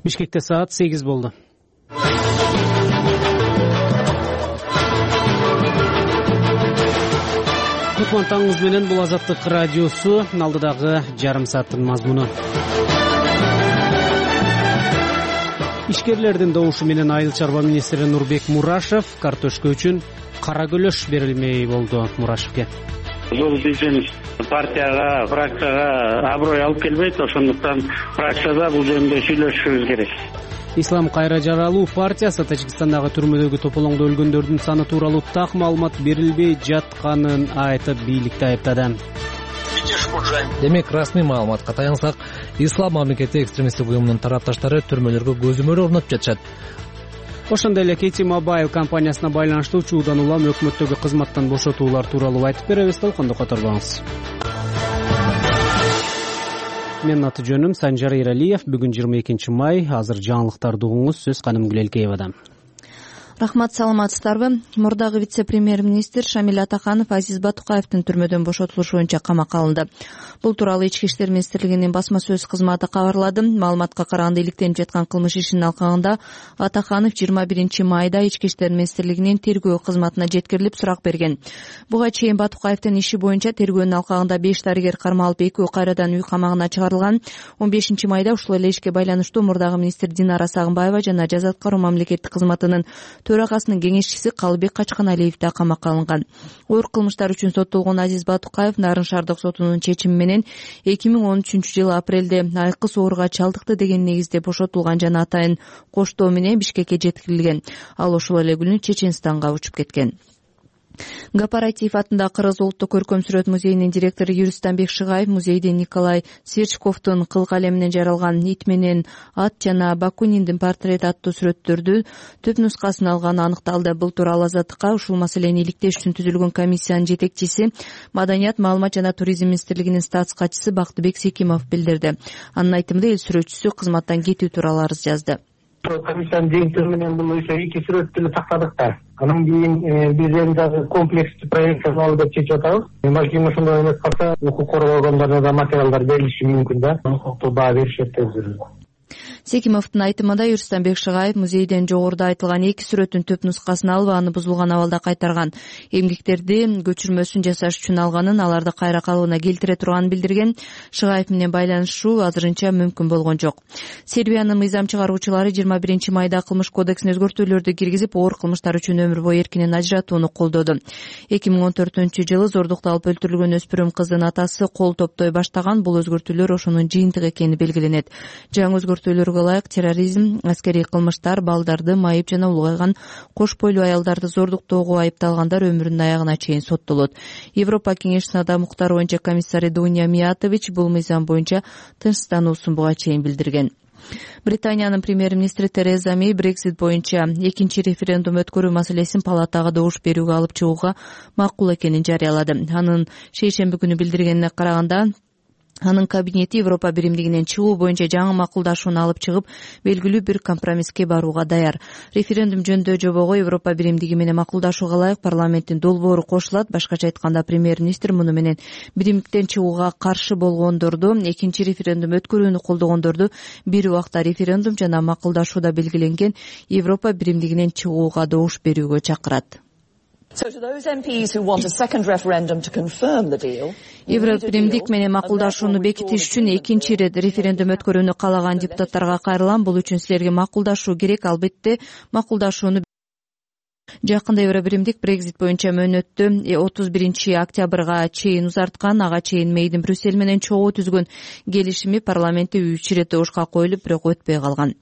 Бишкекте саат 8 болду. Кутман таңыңыз менен, бул Азаттык радиосу. Алдыдагы жарым сааттын мазмуну. Ишкерлердин добушу менен Айыл чарба министри Нурбек Мурашев картошка үчүн кара көлөш берилмей болду. Мурашевке бул биздин партияга, фракцияга аброй алып келбейт, ошондуктан фракцияда бул жөнүндө сүйлөшүшүбүз керек. Ислам кайра жаралуу партиясы Тажикстандагы түрмөдөгү тополоңдо өлгөндөрдүн саны тууралуу так маалымат берилбей жатканын айтып, бийликти айыптады. Демек, расмий маалыматка таянсак, Ислам мамлекети экстремисттик уюмунун тарапташтары түрмөлөргө көзөмөл орнотуп жатышат. Ошондой эле Кити Мобайл компаниясына байланыштуу учуудан улам өкмөттөгү кызматтан бошотуулар тууралуу айтып беребиз. Толкондо которбоңуз. Менин аты жөнүм Санжар Эралиев. Бүгүн 22 май. Азыр жаңылыктарды угуңуз. Сөз Каным Гүлелкеевадан. Рахмат, саламатсыздарбы? Мурдагы вице-премьер-министр Шамиль Атаканов Азиз Батукаевдин түрмөдөн бошотулушу боюнча камакка алынды. Бул тууралуу Ички иштер министрлигинин басма сөз кызматы кабарлады. Маалыматка караганда, иликтенип жаткан кылмыш ишинин алкагында Атаканов 21 майда Ички иштер министрлигинин тергөө кызматына жеткирилип сурак берген. Буга чейин Батукаевдин иши боюнча тергөөнүн алкагында 5 дарыгер кармалып, 2 кайрадан үй камагына чыгарылган. 15 майда ушул эле ишке байланыштуу мурдагы министр Динара Сагынбаева жана жаза аткаруу мамлекеттик кызматынын төрагасынын кеңешчиси Калыбек Качканалиев да камакка алынган. Оор кылмыштар үчүн соттолгон Азиз Батукаев Нарын шаардык сотунун чечими менен 2013-жылы апрелде айкы сооруга чалдыкты деген негизде бошотулган жана атайын коштоо менен Бишкекке жеткирилген. Ал ошол эле күнү Чеченстанга учуп кеткен. Гапаратиев атындагы Кыргыз улуттук көркөм сүрөт музейинин директору Юристанбек Шыгаев музейде Николай Сверчковдун кыл калеминен жаралган Ит менен ат жана Бакуниндин портрети аттуу сүрөттөрдү түп нускасын алганы аныкталды. Бул тууралуу Азаттыкка ушул маселени иликтеш үчүн түзүлгөн комиссиянын жетекчиси, Маданият, маалымат жана туризм министрлигинин статс катчысы Бактыбек Секимов билдирди. Анын айтымында, эл сүрөтчүсү кызматтан кетүү тууралуу арыз жазды. Комиссиянын жыйынтыгы менен бул ошо 2 сүрөттү тактадык да. Анан кийин биз эми дагы комплекстүү проекттен алып деп чечип атабыз. Балким ошондой эмес калса, укук коргоо органдарына да материалдар берилиши мүмкүн да. Укуктук баа беришет деп жүрөбүз. Секимовдун айтымында, Юристанбек Шыгаев музейден жогоруда айтылган 2 сүрөттүн түп нускасын алып, аны бузулган абалда кайтарган. Эмгектерди көчүрмөсүн жасаш үчүн алганын, аларды кайра калыбына келтире турганын билдирген. Шыгаев менен байланышуу азырынча мүмкүн болгон жок. Сербиянын мыйзам чыгаруучулары 21 майда кылмыш кодексине өзгөртүүлөрдү киргизип, оор кылмыштар үчүн өмүр бою эркинен ажыратууну колдоду. 2014-жылы зордукта алып өлтүрүлгөн өспүрүм кыздын атасы кол топтой баштаган. Бул өзгөртүүлөр ошонун жыйынтыгы экени белгиленет. Жаңы өзгөртүүлөргө ылайык терроризм, аскерий кылмыштар, балдарды майып жана улгайган кош бойлуу аялдарды зордуктоого айыпталгандар өмүрүнүн аягына чейин соттолот. Европа кеңешинин адам укуктары боюнча комиссары Дуня Миятович бул мыйзам боюнча тынчсыздануусун буга чейин билдирген. Британиянын премьер-министри Тереза Мей Брексит боюнча экинчи референдум өткөрүү маселесин палатага добуш берүүгө алып чыгууга макул экенин жарыялады. Анын шейшемби күнү билдиргенине караганда, анын кабинети Европа биримдигинен чыгуу боюнча жаңы макулдашууну алып чыгып, белгилүү бир компромисске барууга даяр. Референдум жөнүндө жобого Европа биримдиги менен макулдашууга ылайык парламенттин долбоору кошулат. Башкача айтканда, премьер-министр муну менен биримдиктен чыгууга каршы болгондорду, экинчи референдум өткөрүүнү колдогондорду бир убакта референдум жана макулдашууда белгиленген Европа биримдигинен чыгууга добуш берүүгө чакырат. Евробиримдик менен макулдашууну бекитиш үчүн экинчи ирет референдум өткөрүүнү каалаган депутаттарга кайрылам. Бул үчүн силерге макулдашуу керек. Албетте, макулдашууну жакында Евробиримдик Брексит боюнча мөөнөттү 31 октябрга чейин узарткан. Ага чейин Мейдин Брюссель менен чогуу түзгөн келишими парламентте 3 ирет добушка коюлуп, бирок өтпөй калган.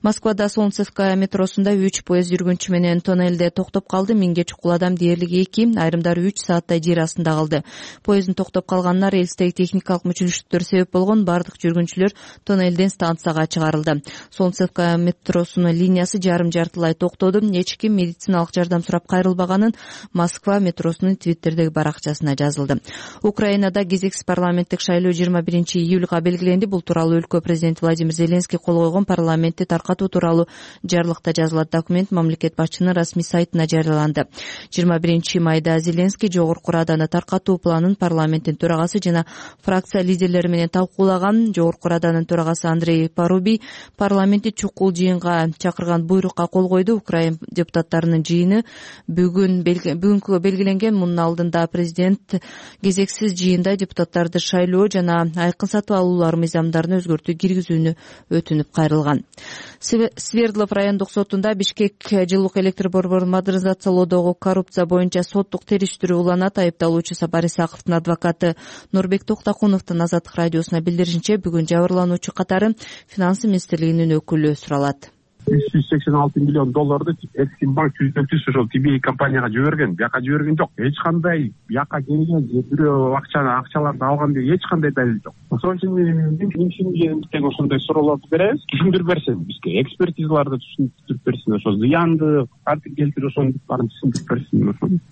Москвада Солнцевская метросунда 3 поезд жүргүнчү менен тоннелде токтоп калды. 1000ге чукул адам, дээрлик 2, айрымдары 3 сааттай жер астында калды. Поезддин токтоп калганына рельстеги техникалык мүчүлүштүктөр себеп болгон. Бардык жүргүнчүлөр тоннелден станцияга чыгарылды. Солнцевская метросунун линиясы жарым-жартылай токтоду. Эч ким медициналык материалдык жардам сурап кайрылбаганын Москва метросунун Твиттердеги баракчасына жазылды. Украинада кезексиз парламенттик шайлоо 21 июлга белгиленди. Бул тууралуу өлкө президенти Владимир Зеленский кол койгон парламентти таркатуу тууралуу жарлыкта жазылат. Документ мамлекет башчынын расмий сайтына жарыяланды. 21 майда Зеленский Жогорку Раданы таркатуу планын парламенттин төрагасы жана фракция лидерлери менен талкуулаган. Жогорку Раданын төрагасы Андрей Парубий парламентти чукул жыйынга чакырган буйрукка кол койду. Украин депутаттарынын жыйыны бүгүнкү белгиленген. Мунун алдында президент кезексиз жыйында депутаттарды шайлоо жана айкын сатып алуулар мыйзамдарын өзгөртүү киргизүүнү өтүнүп кайрылган. Свердлов райондук сотунда Бишкек жылуулук электр борборун модернизациялоодогу коррупция боюнча соттук териштирүү уланат. Айыпталуучу Сапар Исаковдун адвокаты Нурбек Токтокуновдун Азаттык радиосуна билдиришинче, бүгүн жабырлануучу катары Финансы министрлигинин өкүлү суралат. $386 миллион Эксимбанк түзөтүүсү ошол TBA компанияга жиберген. Бияка жиберген жок. Эч кандай бияка келген бирөө акчаларды алган деген эч кандай далил жок. Ошон үчүн тең ошондой суроолорду беребиз. Түшүндүрүп берсин бизге, экспертизаларды түшүндүрүп берсин, ошо зыянды кантип келтирип ошонун баарын түшүндүрүп берсин.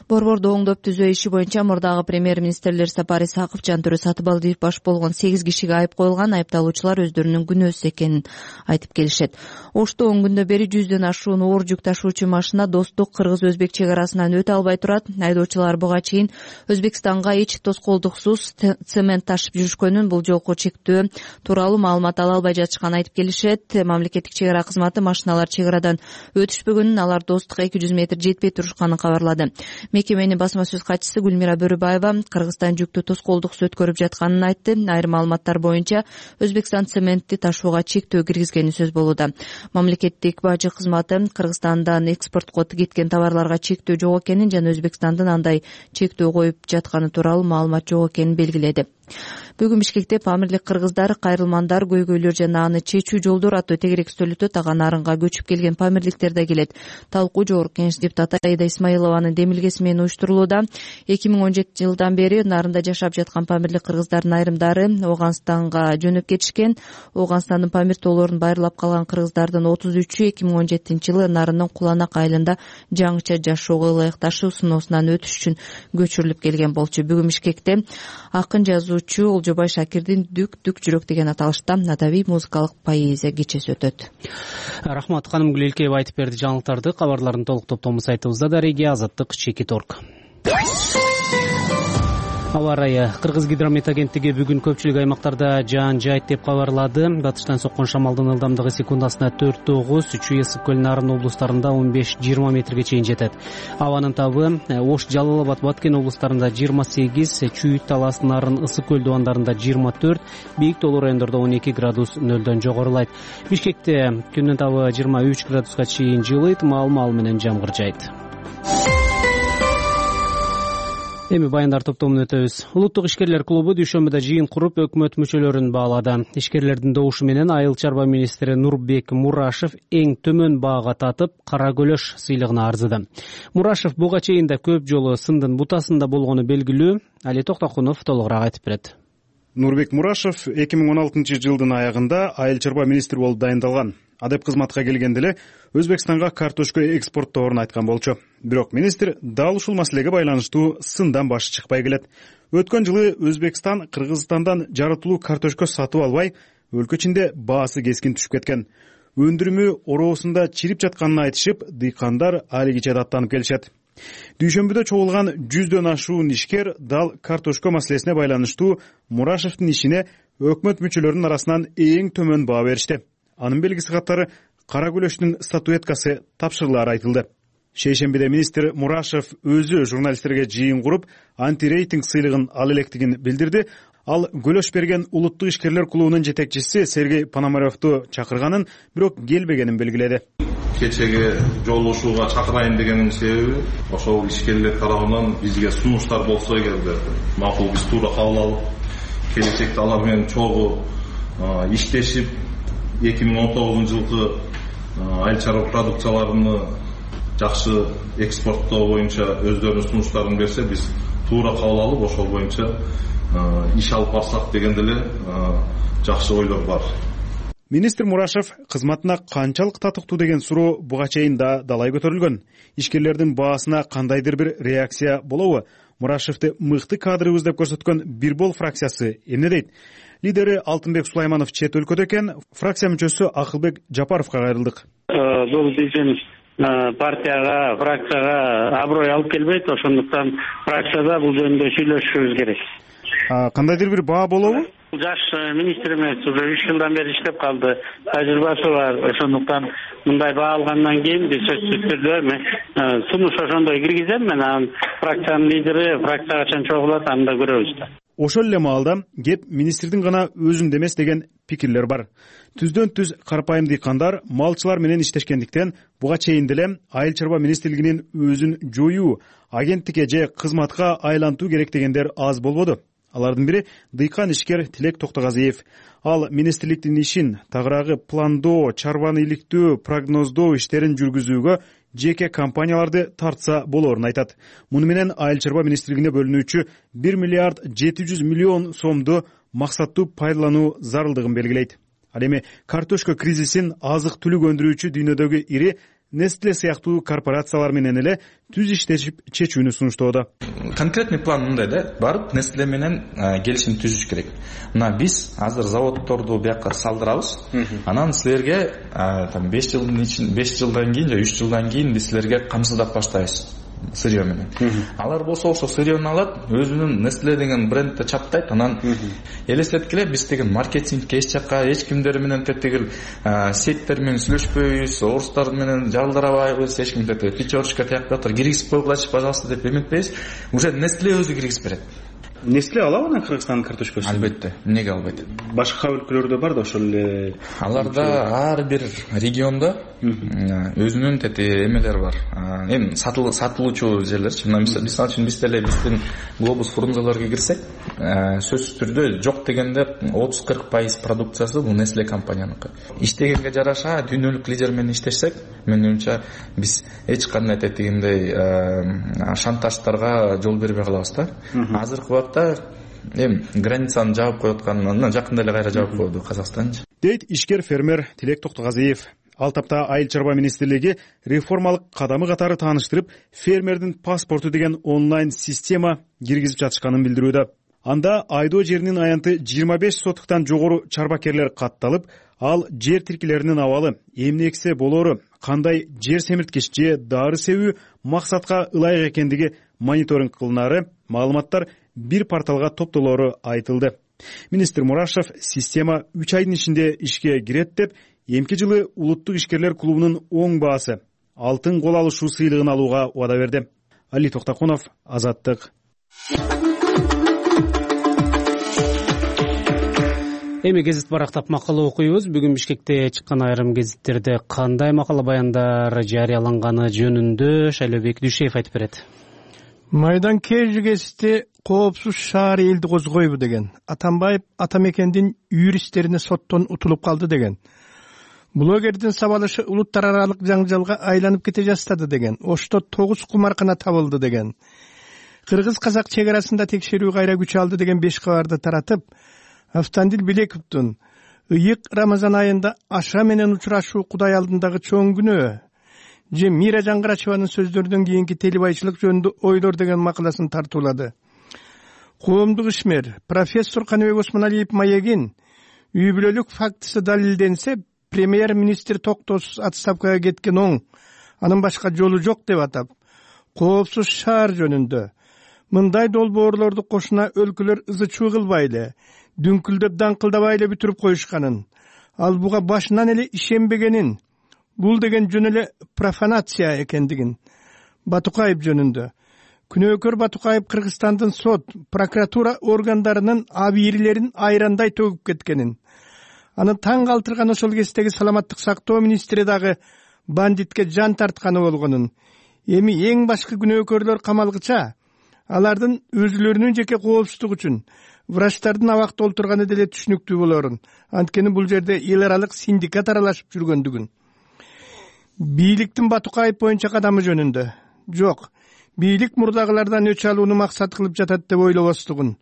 Борборду оңдоп түзөө иши боюнча мурдагы премьер-министрлер Сапар Исаков, Жантөрө Сатыбалдиев баш болгон 8 кишиге айып коюлган. Айыпталуучулар өздөрүнүн күнөөсү экенин айтып келишет. Ошто 10 күндөн бери 100дөн ашуун оор жүк ташуучу машина Достук кыргыз-өзбек чек арасынан өтө албай турат. Айдоочулар буга чейин Өзбекстанга эч тоскоолдуксуз цемент ташып жүрүшкөнүн, бул жолку чектөө тууралуу маалымат ала албай жатышканын айтып келишет. Мамлекеттик чек ара кызматы машиналар чек арадан өтүшпөгөнүн, алар Достукка 200 метр жетпей турушканын кабарлады. Мекеменин басма сөз катчысы Гүлмира Бөрүбаева Кыргызстан жүктү тоскоолдуксуз өткөрүп жатканын айтты. Айрым маалыматтар боюнча Өзбекстан цементти ташууга чектөө киргизгени сөз болууда. Мамлекеттик бажы кызматы Кыргызстандан экспортко кеткен товарларга чектөө жок экенин жана Өзбекстандын андай чектөө коюп жатканы тууралуу маалымат жок экенин белгиледи. Бүгүн Бишкекте Памирлик кыргыздар, кайрылмандар, көйгөйлөр жана аны чечүү жолдору аттуу тегерек үстөл өтөт. Ага нарынга көчүп келген памирликтер да келет. Талкуу Жогорку Кеңеш депутаты Аида Исмаилованын демилгеси менен уюштурулууда. 2017 жылдан бери нарында жашап жаткан памирлик кыргыздардын айрымдары Ооганстанга жөнөп кетишкен. Ооганстандын Памир тоолорун байырлап калган кыргыздардын 33-ü 2017 жылы нарынын Куланак айылында жаңыча жашоого ылайыкташуу сыноосунан өтүш үчүн көчүрүлүп келген болчу. Бүгүн Бишкекте акын жазуучу Олжобай Шакирдин Дүк жүрөк деген аталышта адабий музыкалык поэзия кечеси өтөт. Рахмат, ханым Гүлелкеева айтып берди жаңылыктарды. Кабарлардын толук топтому сайтыбызда дареги Азаттык.org. Аба ырайы. Кыргызгидромет агенттиги бүгүн көпчүлүк аймактарда жаан жайт деп кабарлады. Батыштан соккон шамалдын ылдамдыгы секундасына 4-9, Чүй, Ысык көл, Нарын облустарында 15-20 метрге чейин жетет. Абанын табы Ош, Жалал Абад, Баткен облустарында 28, Чүй, Талас, Нарын, Ысык көл дубандарында 24, бийик тоолуу райондордо 12 градус нөлдөн жогорулайт. Бишкекте күндүн табы 23 градуска чейин жылыйт, маал менен жамгыр жайт. Эми баяндар топтомун өтөбүз. Улуттук ишкерлер клубу дүйшөмбүдө жыйын куруп өкмөт мүчөлөрүн баалады. Ишкерлердин добушу менен Айыл чарба министри Нурбек Мурашев эң төмөн баага татып, Кара Көлөш сыйлыгына арзыды. Мурашев буга чейин да көп жолу сындын бутасында болгону белгилүү. Али Токтокунов толугураак айтып берет. Нурбек Мурашев 2016 жылдын аягында Айыл чарба министри болуп дайындалган. Адеп кызматка келгенде эле Өзбекстанга картошка экспорттоорун айткан болчу. Бирок министр дал ушул маселеге байланыштуу сындан башы чыкпай келет. Өткөн жылы Өзбекстан Кыргызстандан жаратылуу картошка сатып албай, өлкө ичинде баасы кескин түшүп кеткен. Өндүрүмү ороосунда чирип жатканын айтышып, дыйкандар али кече даттанып келишет. Дүйшөмбүдө чогулган 100дөн ашуун ишкер дал картошка маселесине байланыштуу Мурашевдин ишине өкмөт мүчөлөрүнүн арасынан эң төмөн баа беришти. Анын белгиси катары Кара Көлөштүн статуэткасы тапшырылары айтылды. Шейшембиде министр Мурашев өзү журналисттерге жыйын куруп, антирейтинг сыйлыгын ала электигин билдирди. Ал Көлөш берген улуттук ишкерлер клубунун жетекчиси Сергей Пономаревду чакырганын, бирок келбегенин белгиледи. Кечеге жолугушууга чакырайын дегенин себеби ошол ишкерлер тарабынан бизге сунуштар болсо эгерде макул биз туура кабыл алып, келечекте алар менен чогуу иштешип 2019 жылкы айыл чарба продукцияларыны жакшы экспорттоо боюнча өздөрүнүн сунуштарын берсе, биз туура кабыл алып, ошол боюнча иш алып барсак дегенде эле жакшы ойлор бар. Министр Мурашев кызматына канчалык татыктуу деген суроо буга чейин да далай көтөрүлгөн. Ишкерлердин баасына кандайдыр бир реакция болобу? Мурашевди мыкты кадрыбыз деп көрсөткөн Бир Бол фракциясы эмне дейт? Лидери Алтынбек Сулайманов чет өлкөдө экен. Фракция мүчөсү Акылбек Жапаровго кайрылдык. Бул биздин партияга, фракцияга аброй алып келбейт, ошондуктан фракцияда бул жөнүндө сүйлөшүшүбүз керек. Кандайдыр бир баа болобу? Жаш министр эмес, уже 3 жылдан бери иштеп калды, тажрыйбасы бар. Ошондуктан мындай баа алгандан кийин биз сөзсүз түрдө сунуш ошондой киргизем, мен анан фракциянын лидери фракция качан чогулат аны да көрөбүз да. Ошол эле маалда кеп министрдин гана өзүндө эмес деген пикирлер бар. Түздөн түз карапайым дыйкандар, малчылар менен иштешкендиктен буга чейин деле Айыл чарба министрлигинин өзүн жоюу, агенттикке же кызматка айлантуу керек дегендер аз болбоду. Алардын бири дыйкан ишкер Тилек Токтогазиев. Ал министрликтин ишин тагыраагы пландоо, чарбаны иликтөө, прогноздоо иштерин жүргүзүүгө жеке компанияларды тартса болоорун айтат. Муну менен Айыл чарба министрлигине бөлүнүүчү 1 миллиард 700 миллион сомду максаттуу пайдалануу зарылдыгын белгилейт. Ал эми картошка кризисин азык түлүк өндүрүүчү дүйнөдөгү ири Nestle сыяктуу корпорациялар менен эле түз иштешип чечүүнү сунуштоодо. Конкретный план мындай да, барып Nestle менен келишим түзүш керек. Мына биз азыр заводдорду бияка салдырабыз. Анан силерге 5 жылдан кийин же 3 жылдан кийин биз силерге камсыздап баштайбыз сырье менен. Алар болсо ошо сырьени алат, өзүнүн Nestle деген брендти чаптайт, анан элестеткиле биз деген маркетингке эч жакка эч кимдер менен тетигил сеттер менен сүйлөшпөйбүз, орустар менен жалдырабайбыз, эч ким тетиги печёрочка тияктыр киргизип койгулачы, пожалуйста деп эметпейбиз. Уже Nestle өзү киргизип берет. Nestle алабы анан Кыргызстандын картошкасын? Албетте, эмнеге албайт? Башка өлкөлөрдө бар да ошол эле. Аларда ар бир региондо өзүнүн эмелери бар. Эми сатылуучу жерлерчи. Мисалы үчүн биз деле биздин Глобус фрунзелерге кирсек, сөзсүз түрдө жок дегенде 30-40% продукциясы бул Nestle компанияныкы. Иштегенге жараша дүйнөлүк лидер менен иштешсек, менин оюмча биз эч кандай тетигиндей шантаждарга жол бербей калабыз да. Азыркы убакта границаны жаап коюп атканынан жакында эле кайра жаап койду Казакстанчы. Дейт ишкер фермер Тилек Токтогазиев. Ал тапта Айыл чарба министрлиги реформалык кадамы катары тааныштырып, фермердин паспорту деген онлайн система киргизип жатышканын билдирүүдө. Анда айдоо жеринин аянты 25 сотуктан жогору чарбакерлер катталып, ал жер тиркилеринин абалы, эмне эксе болоору, кандай жер семирткич же дары себүү максатка ылайык экендиги мониторинг кылынары, маалыматтар бир порталга топтолоору айтылды. Министр Мурашев система 3 айдын ичинде ишке кирет деп, эмки жылы улуттук ишкерлер клубунун оң баасы алтын кол алышуу сыйлыгын алууга убада берди. Али Токтокунов, Азаттык. Эми гезит барактап макала окуйбуз. Бүгүн Бишкекте чыккан айрым гезиттерде кандай макала баяндар жарыяланганы жөнүндө Шайлообек Дүйшеев айтып берет. Майдан Кежи гезити коопсуз шаар элди козгойбу деген. Атамбаев Атамекендин юристтерине соттон утулуп калды деген. Блогердин сабалышы улуттар аралык жаңжалга айланып кете жаздады деген. Ошто 9 кумаркана табылды деген. Кыргыз-казак чек арасында текшерүү кайра күч алды деген 5 кабарды таратып, Автандил Билековдун ыйык Рамазан айында аша менен учурашуу Кудай алдындагы чоң күнөө же Мира Жаңгырачеванын сөздөрүнөн кийинки телебайчылык жөнүндө ойлор деген макаласын тартуулады. Коомдук ишмер профессор Каныбек Осмоналиев маегин үй бүлөлүк фактысы далилденсе, премьер-министр токтоосуз отставкага кеткен оң, анын башка жолу жок деп атап, коопсуз шаар жөнүндө мындай долбоорлорду кошуна өлкөлөр ызы-чуу кылбай эле, дүңкүлдөп даңкылдабай эле бүтүрүп коюшканын, ал буга башынан эле ишенбегенин, бул деген жөн эле профанация экендигин. Батукаев жөнүндө күнөөкөр Батукаев Кыргызстандын сот, прокуратура органдарынын абийирлерин айрандай төгүп кеткенин, аны таң калтырган ошол кездеги саламаттык сактоо министри дагы бандитке жан тартканы болгонун, эми эң башкы күнөөкөрлөр камалгыча алардын өзүлөрүнүн жеке коопсуздугу үчүн врачтардын абакта олтурганы деле түшүнүктүү болорун, анткени бул жерде эл аралык синдикат аралашып жүргөндүгүн. Бийликтин Батукаев боюнча кадамы жөнүндө жок, бийлик мурдагылардан өч алууну максат кылып жатат деп ойлобостугун,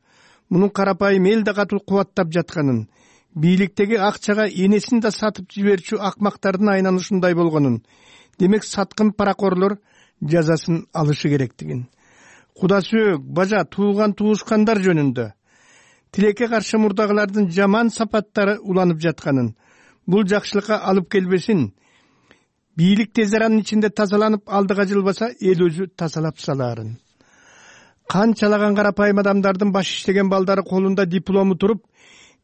мунун карапайым эл да катуу кубаттап жатканын, бийликтеги акчага энесин да сатып жиберчү акмактардын айнаны ушундай болгонун, демек саткын паракорлор жазасын алышы керектигин, куда сөөк, бажа, тууган туушкандар жөнүндө тилекке каршы мурдагылардын жаман сапаттары уланып жатканын, бул жакшылыкка алып келбесин, бийлик тез аранын ичинде тазаланып алдыга жылбаса эл өзү тазалап салаарын. Канчалаган карапайым адамдардын баш иштеген балдары колунда диплому туруп,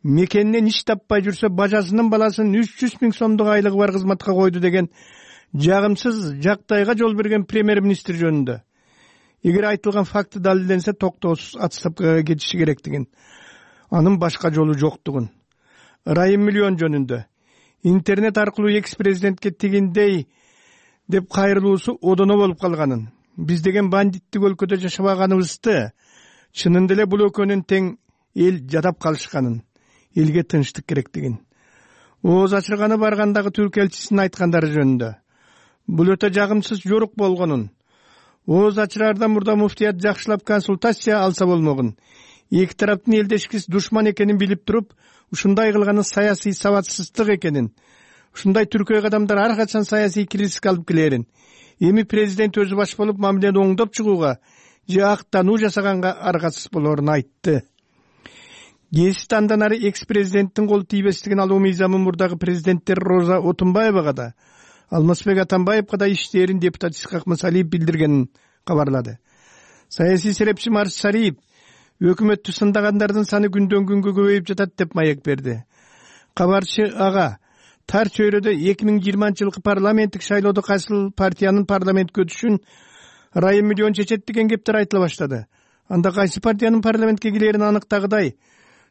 мекенинен иш таппай жүрсө, бажасынын баласын 300 000 сомдук айлыгы бар кызматка койду деген жагымсыз жактайга жол берген премьер-министр жөнүндө эгер айтылган факты далилденсе, токтоосуз отставкага кетиши керектигин, анын башка жолу жоктугун, ырайым миллион жөнүндө интернет аркылуу экс-президентке тигиндей деп кайрылуусу одоно болуп калганын, биз деген бандиттик өлкөдө жашабаганыбызды, чынында эле бул өлкөнүн тең эл жадап калышканын, элге тынчтык керектигин, ооз ачырганы баргандагы түрк элчисинин айткандары жөнүндө бул өтө жагымсыз жорук болгонун, ооз ачыраардан мурда муфтият жакшылап консультация алса болмогун, эки тараптын элдешкис душман экенин билип туруп, ушундай кылганы саясий сабатсыздык экенин, ушундай түркөй адамдар ар качан саясий кризиске алып келерин, эми президент өзү баш болуп мамилени оңдоп чыгууга же актануу жасаганга аргасыз болоорун айтты. Гезит андан ары экс-президенттин кол тийбестигин алуу мыйзамы мурдагы президенттер Роза Отунбаевага да, Алмазбек Атамбаевга да иштээрин депутат Исхак Мысалиев билдиргенин кабарлады. Саясий серепчи Марс Шариев өкмөттү сындагандардын саны күндөн күнгө көбөйүп жатат деп маек берди. Кабарчы ага тар чөйрөдө 2020-жылкы парламенттик шайлоодо кайсыл партиянын парламентке өтүшүн ырайым миллион чечет деген кептер айтыла баштады. Анда кайсы партиянын парламентке келерин аныктагыдай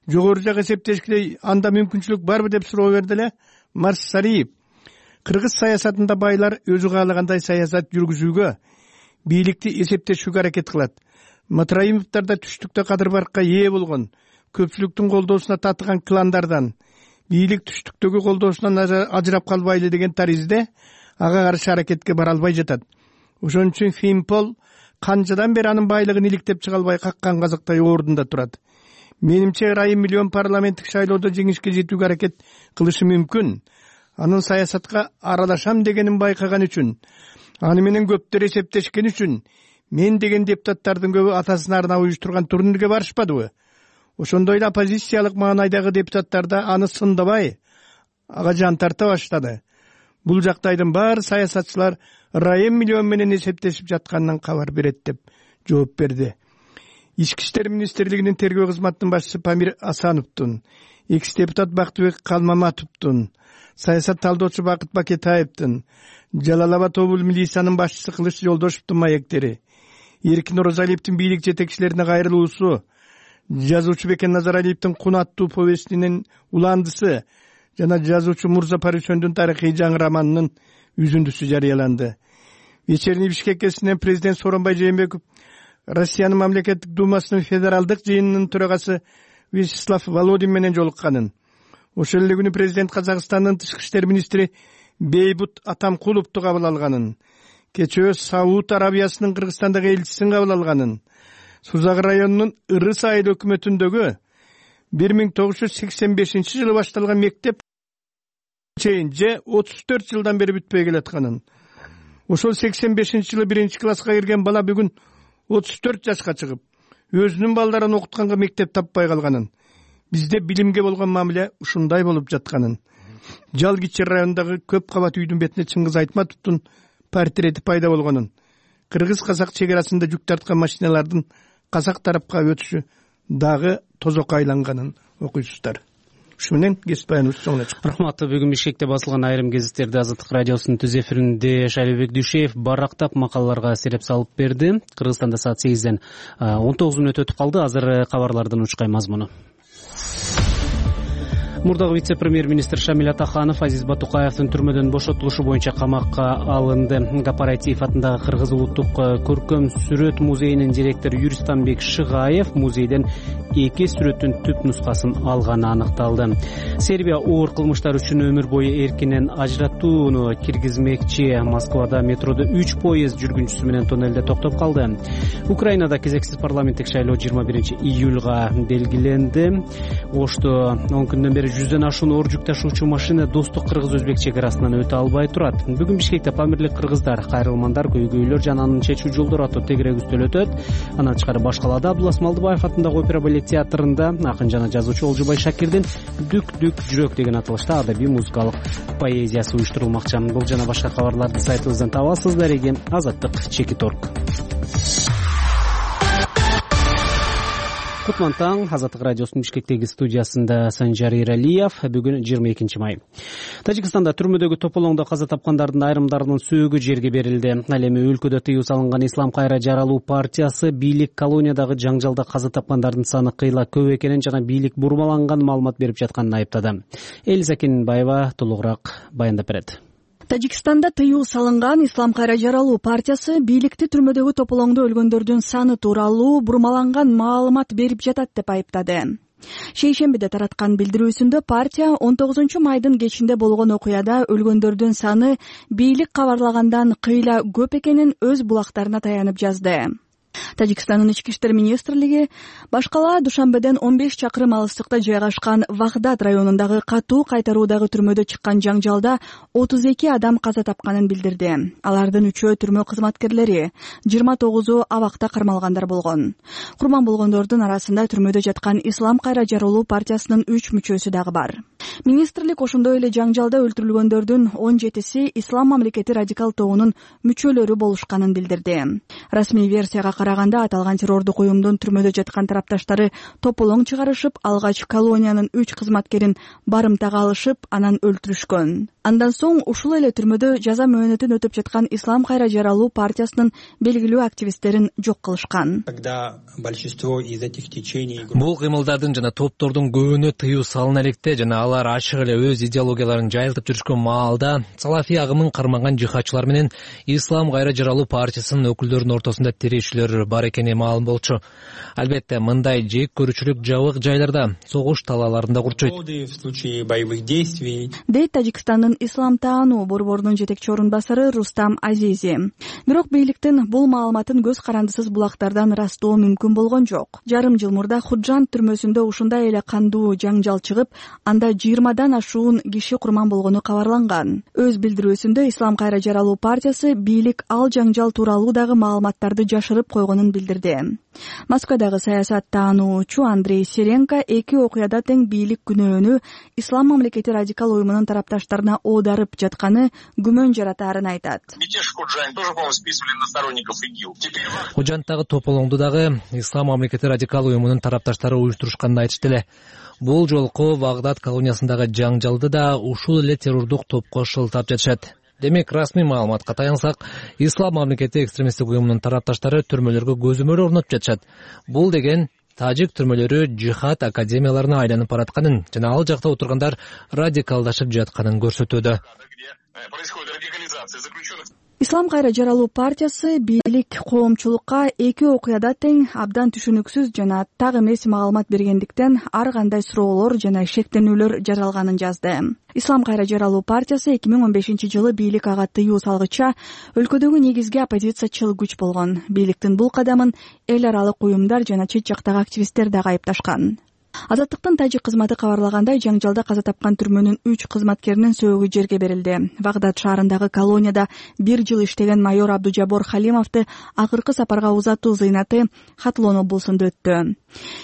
жогору жак эсептешкилей анда мүмкүнчүлүк барбы деп суроо берди эле Марс Шариев. Кыргыз саясатында байлар өзү каалагандай саясат жүргүзүүгө, бийликти эсептешүүгө аракет кылат. Матраимовдор да түштүктө кадыр баркка ээ болгон, көпчүлүктүн колдоосуна татыган кландардан, бийлик түштүктөгү колдоосунан ажырап калбайлы деген таризде ага каршы аракетке бара албай жатат. Ошон үчүн Фимпол канчадан бери анын байлыгын иликтеп чыга албай каккан казактай ордунда турат. Менимче ырайым миллион парламенттик шайлоодо жеңишке жетүүгө аракет кылышы мүмкүн. Анын саясатка аралашам дегенин байкаган үчүн, аны менен көптөр эсептешкен үчүн, мен деген депутаттардын көбү атасына арнап уюштурган турнирге барышпадыбы? Ошондой эле оппозициялык маанайдагы депутаттар да аны сындабай, ага жан тарта баштады. Бул жактайдын баары саясатчылар ырайым миллион менен эсептешип жатканынан кабар берет деп жооп берди. Ички иштер министрлигинин тергөө кызматынын башчысы Памир Асановдун, экс-депутат Бактыбек Калмаматовдун, саясат талдоочу Бакыт Бакетаевдин, Жалал Абад облус милициянын башчысы Кылыч Жолдошевдун маектери, Эркин Орозалиевдин бийлик жетекчилерине кайрылуусу, жазуучу Бекен Назаралиевдин Кун аттуу повестинин уландысы жана жазуучу Мурза Парисөндүн тарыхый жаңы романынын үзүндүсү жарыяланды. Вечерний Бишкек кезинен президент Сооронбай Жээнбеков Россиянын мамлекеттик думасынын федералдык жыйынынын төрагасы Вячеслав Володин менен жолукканын, ошол эле күнү президент Казакстандын тышкы иштер министри Бейбут Атамкуловду кабыл алганын, кечээ Сауд Арабиясынын Кыргызстандагы элчисин кабыл алганын, Сузак районунун Ырыс айыл өкмөтүндөгү 1985-жылы башталган мектеп чейин же 34 жылдан бери бүтпөй келатканын, ошол 85-жылы 1-класска кирген бала бүгүн 34 жашка чыгып, өзүнүн балдарын окутканга мектеп таппай калганын, бизде билимге болгон мамиле ушундай болуп жатканын, Жал Кичи районундагы көп кабат үйдүн бетине Чыңгыз Айтматовдун портрети пайда болгонун, кыргыз-казак чек арасында жүк тарткан машиналардын казак тарапка өтүшү дагы тозокко айланганын окуйсуздар. Ушу менен кесип баяныбыз соңуна чыкты. Рахмат. Бүгүн Бишкекте басылган айрым гезиттерди Азаттык радиосунун түз эфиринде Шайлообек Дүйшеев барактап макалаларга сереп салып берди. Кыргызстанда саат 8ден 19 мүнөт өтүп калды. Азыр кабарлардын учкай мазмуну. Мурдагы вице-премьер-министр Шамиль Атаханов Азиз Батукаевдин түрмөдөн бошотулушу боюнча камакка алынды. Кооператив атындагы Кыргыз улуттук көркөм сүрөт музейинин директору Юристанбек Шыгаев музейден 2 сүрөттүн түп нускасын алганы аныкталды. Сербия оор кылмыштар үчүн өмүр бою эркинен ажыратууну киргизмекчи. Москвада метродо 3 поезд жүргүнчүсү менен тоннелде токтоп калды. Украинада кезексиз парламенттик шайлоо 21 июлга белгиленди. Ошто 10 күндөн бери 100дөн ашуун оор жүк ташуучу машина Достук кыргыз-өзбек чек арасынан өтө албай турат. Бүгүн Бишкекте Памирлик кыргыздар, кайрылмандар, көйгөйлөр жана аны чечүү жолдору аттуу тегерек үстөл өтөт. Андан тышкары баш калаада Абдулас Малдыбаев атындагы опера балет театрында акын жана жазуучу Олжубай Шакирдин «Дүк дүк жүрөк» деген аталышта адабий музыкалык поэзиясы уюштурулмакчы. Бул жана башка кабарларды сайтыбыздан таба аласыздар. Эги Азаттык Чекиторг. Кутман таң. Азаттык радиосунун Бишкектеги студиясында Санжар Иралиев. Бүгүн 22 май. Тажикстанда түрмөдөгү тополоңдо каза тапкандардын айрымдарынын сөөгү жерге берилди. Ал эми өлкөдө тыюу салынган Ислам кайра жаралуу партиясы бийлик колониядагы жаңжалда каза тапкандардын саны кыйла көп экенин жана бийлик бурмаланган маалымат берип жатканын айыптады. Элиза Кенинбаева толугураак баяндап берет. Тажикстанда тыюу салынган Ислам кайра жаралуу партиясы бийликти түрмөдөгү тополоңдо өлгөндөрдүн саны тууралуу бурмаланган маалымат берип жатат деп айыптады. Шейшембиде тараткан билдирүүсүндө партия 19 майдын кечинде болгон окуяда өлгөндөрдүн саны бийлик кабарлагандан кыйла көп экенин өз булактарына таянып жазды. Тажикстандын ички иштер министрлиги баш кала Душанбеден 15 чакырым алыстыкта жайгашкан Вахдат районундагы катуу кайтаруудагы түрмөдө чыккан жаңжалда 32 адам каза тапканын билдирди. Алардын 3-өө түрмө кызматкерлери, 29-у абакта кармалгандар болгон. Курман болгондордун арасында түрмөдө жаткан Ислам кайра жаралуу партиясынын 3 мүчөсү дагы бар. Министрлик ошондой эле жаңжалда өлтүрүлгөндөрдүн 17-си Ислам мамлекети радикал тобунун мүчөлөрү болушканын билдирди. Расмий версияга караганда аталган террордук уюмдун түрмөдө жаткан тарапташтары тополоң чыгарышып, алгач колониянын 3 кызматкерин барымтага алышып, анан өлтүрүшкөн. Андан соң ушул эле түрмөдө жаза мөөнөтүн өтүп жаткан Ислам кайра жаралуу партиясынын белгилүү активисттерин жок кылышкан. Бул кыймылдардын жана топтордун көбүнө тыюу салына электе жана алар ачык эле өз идеологияларын жайылтып жүрүшкөн маалда салафий агымын кармаган жихадчылар менен Ислам кайра жаралуу партиясынын өкүлдөрүнүн ортосунда тирешүүлөр бар экени маалым болчу. Албетте, мындай жек көрүүчүлүк жабык жайларда, согуш талааларында курчойт. Дейт Тажикстандын ислам таануу борборунун жетекчи орун басары Рустам Азизи. Бирок бийликтин бул маалыматын көз карандысыз булактардан ырастоо мүмкүн болгон жок. Жарым жыл мурда Худжан түрмөсүндө ушундай эле кандуу жаңжал чыгып, анда 20дан ашуун киши курман болгону кабарланган. Өз билдирүүсүндө Ислам кайра жаралуу партиясы бийлик ал жаңжал тууралуу дагы маалыматтарды жашырып койгонун билдирди. Москвадагы саясат таануучу Андрей Серенко эки окуяда тең бийлик күнөөнү Ислам мамлекети радикал уюмунун тарапташтарына оодарып жатканы күмөн жаратаарын айтат. Худжандагы тополоңду дагы Ислам мамлекети радикал уюмунун тарапташтары уюштурушканын айтышты эле. Бул жолку Вагдат колониясындагы жаңжалды да ушул эле террордук топко шылтап жатышат. Демек, расмий маалыматка таянсак, Ислам мамлекети экстремисттик уюмунун тарапташтары түрмөлөргө көзөмөл орнотуп жатышат. Бул деген тажик түрмөлөрү жихад академияларына айланып баратканын жана ал жакта отургандар радикалдашып жатканын көрсөтүүдө. Ислам кайра жаралуу партиясы бийлик коомчулукка эки окуяда тең абдан түшүнүксүз жана так эмес маалымат бергендиктен ар кандай суроолор жана шектенүүлөр жаралганын жазды. Ислам кайра жаралуу партиясы 2015-жылы бийлик ага тыюу салгыча өлкөдөгү негизги оппозициячыл күч болгон. Бийликтин бул кадамын эл аралык уюмдар жана чет жактагы активисттер дагы айыпташкан. Азаттыктын тажик кызматы кабарлагандай, жаңжалда каза тапкан түрмөнүн 3 кызматкеринин сөөгү жерге берилди. Вагдат шаарындагы колонияда 1 жыл иштеген майор Абдужабор Халимовду акыркы сапарга узатуу зыйнаты Хатлон облусунда өттү.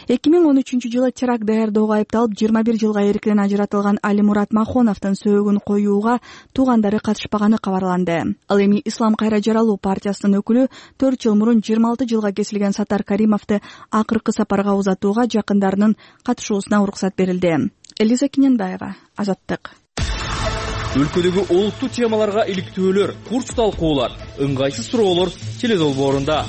2013-жылы теракт даярдоого айыпталып 21 жылга эркинен ажыратылган Алимурат Махоновдун сөөгүн коюуга туугандары катышпаганы кабарланды. Ал эми Ислам кайра жаралуу партиясынын өкүлү 4 жыл мурун 26 жылга кесилген Сатар Каримовду акыркы сапарга узатууга жакындарынын катышуусуна уруксат берилди. Элиза Кенинбаева, Азаттык. Өлкөдөгү олуттуу темаларга иликтөөлөр, курс талкуулар, ыңгайсыз суроолор теледолбоорунда.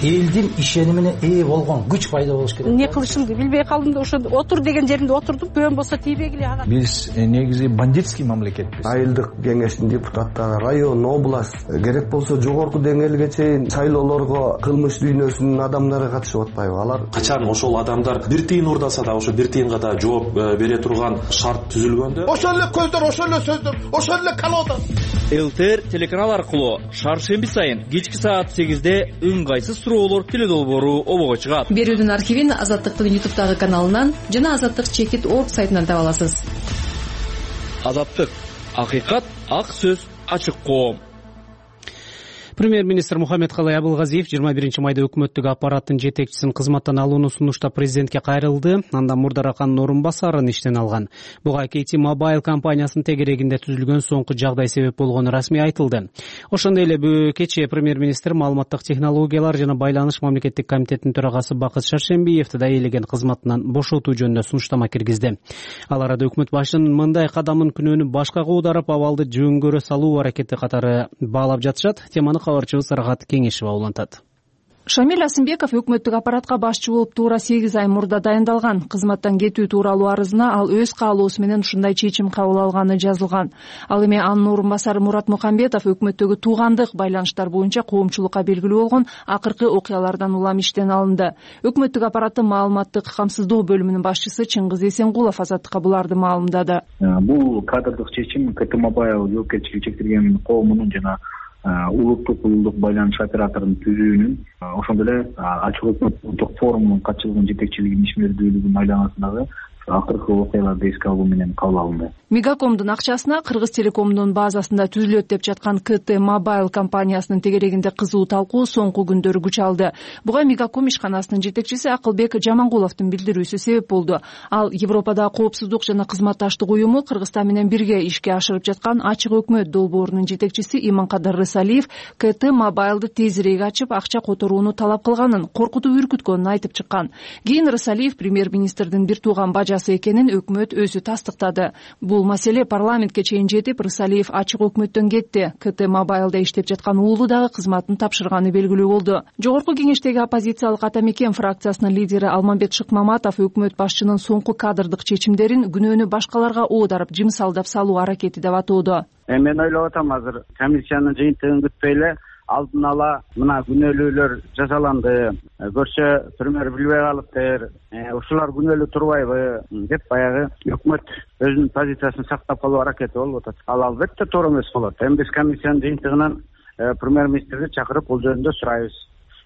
Элдин ишенимине ээ болгон күч пайда болуш керек. Не кылышымды билбей калдым да ошондо отур деген жеримде отурдум. Көбөн болсо тийбегиле ага. Биз негизи бандитский мамлекетпиз. Айылдык кеңештин депутаттары, район, область, керек болсо жогорку деңгээлге чейин шайлоолорго кылмыш дүйнөсүнүн адамдары катышып атпайбы? Алар качан ошол адамдар бир тыйын уурдаса да ошо бир тыйынга да жооп бере турган шарт түзүлгөндө, ошол эле көздөр, ошол эле сөздөр, ошол эле колодо. ЛТР телеканал аркылуу шаршемби сайын кечки саат 8де ыңгайсыз суроолор теле долбоору обого чыгат. Берүүдүн архивин Азаттыктын YouTube'дагы каналынан жана azattik.org сайтынан таба аласыз. Азаттык. Акыйкат, ак сөз, ачык коом. Премьер-министр Мухаммедкалый Абылгазиев 21 майда өкмөттүк аппараттын жетекчисин кызматтан алууну сунуштап президентке кайрылды. Андан Мурдар Акандын орун басарын иштен алган. Буга KT Mobile компаниясынын тегерегинде түзүлгөн соңку жагдай себеп болгону расмий айтылды. Ошондой эле кечээ премьер-министр маалыматтык технологиялар жана байланыш мамлекеттик комитетинин төрагасы Бакыт Шаршембиевди да ээлеген кызматынан бошотуу жөнүндө сунуштама киргизди. Ал арада өкмөт башчынын мындай кадамын күнөөнү башкага оодарып, абалды жөнгөрө салуу аракети катары баалап жатышат. Теманы кабарчыбыз Рахат Кеңешева улантат. Шамиль Асымбеков өкмөттүк аппаратка башчы болуп туура 8 ай мурда дайындалган. Кызматтан кетүү тууралуу арызына ал өз каалоосу менен ушундай чечим кабыл алганы жазылган. Ал эми анын орун басары Мурат Мукамбетов өкмөттөгү туугандык байланыштар боюнча коомчулукка белгилүү болгон акыркы окуялардан улам иштен алынды. Өкмөттүк аппараттын маалыматтык камсыздоо бөлүмүнүн башчысы Чыңгыз Эсенгулов Азаттыкка буларды маалымдады. Бул кадрдык чечим KT Mobile жоопкерчилиги чектелген коомунун жана улуттук улуттук байланыш операторунун түзүүнүн, ошондой эле ачык өкмөт улуттук форумунун катчылыгынын жетекчилигинин ишмердүүлүгүнүн айланасындагы акыркы окуяларды эске алуу менен кабыл алынды. Мегакомдун акчасына Кыргыз Телекомдун базасында түзүлөт деп жаткан KT Mobile компаниясынын тегерегинде кызуу талкуу соңку күндөрү күч алды. Буга Мегаком ишканасынын жетекчиси Акылбек Жамангуловдун билдирүүсү себеп болду. Ал Европада коопсуздук жана кызматташтык уюму Кыргызстан менен бирге ишке ашырып жаткан ачык өкмөт долбоорунун жетекчиси Иманкадыр Рысалиев KT Mobile'ды тезирээк ачып, акча которууну талап кылганын, коркутуп үркүткөнүн айтып чыккан. Кийин Рысалиев премьер-министрдин бир тууган бажасы экенин өкмөт өзү тастыктады. Бул маселе парламентке чейин жетип, Рысалиев ачык өкмөттөн кетти. KT Mobile'да иштеп жаткан уулу дагы кызматын тапшырганы белгилүү болду. Жогорку кеңештеги оппозициялык Ата Мекен фракциясынын лидери Алмамбет Шыкмаматов өкмөт башчынын соңку кадрдык чечимдерин күнөөнү башкаларга оодарып, жымсалдап салуу аракети деп атоодо. Мен ойлоп атам, азыр комиссиянын жыйынтыгын күтпөй эле алдын ала мына күнөөлүүлөр жасаланды, көрсө премьер билбей калыптыр, ушулар күнөөлүү турбайбы деп баягы өкмөт өзүнүн позициясын сактап калуу аракети болуп атат. Ал албетте туура эмес болот. Эми биз комиссиянын жыйынтыгынан премьер-министрди чакырып бул жөнүндө сурайбыз.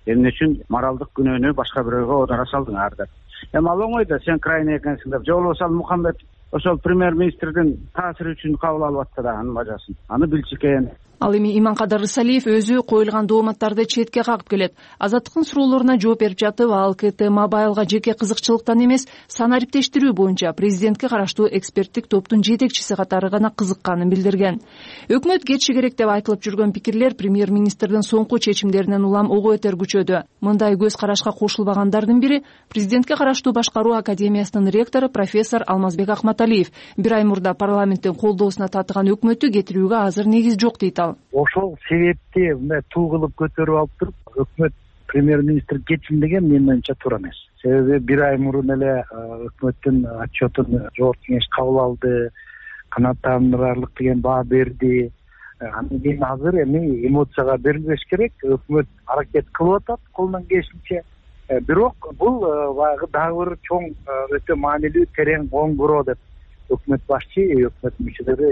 Эмне үчүн моралдык күнөөнү башка бирөөгө оодара салдыңар деп. Эми ал оңой да, сен крайний экенсиң деп. Же болбосо ал Мухаммед ошол премьер-министрдин таасири үчүн кабыл алып атты да анын бажасын. Аны билчү экен. Ал эми Иманкадыр Рысалиев өзү коюлган дооматтарды четке кагып келет. Азаттыктын суроолоруна жооп берип жатып, ал KT Mobile'га жеке кызыкчылыктан эмес, санариптештирүү боюнча президентке караштуу эксперттик топтун жетекчиси катары гана кызыкканын билдирген. Өкмөт кетиши керек деп айтылып жүргөн пикирлер премьер-министрдин соңку чечимдеринен улам ого бетер күчөдү. Мындай көз карашка кошулбагандардын бири президентке караштуу башкаруу академиясынын ректору профессор Алмазбек Акматалиев. Бир ай мурда парламенттин колдоосуна татыган өкмөттү кетирүүгө азыр негиз жок дейт ал. Ошол себепти мына туу кылып көтөрүп алып туруп, өкмөт премьер-министр кетсин деген менин оюмча туура эмес. Себеби бир ай мурун эле өкмөттүн отчетун жогорку кеңеш кабыл алды, канааттандырарлык деген баа берди. Андан кийин азыр эми эмоцияга берилбеш керек. Өкмөт аракет кылып атат колунан келишинче. Бирок бул баягы дагы бир чоң, өтө маанилүү, терең оңгуроо деп өкмөт башчы, өкмөт мүчөлөрү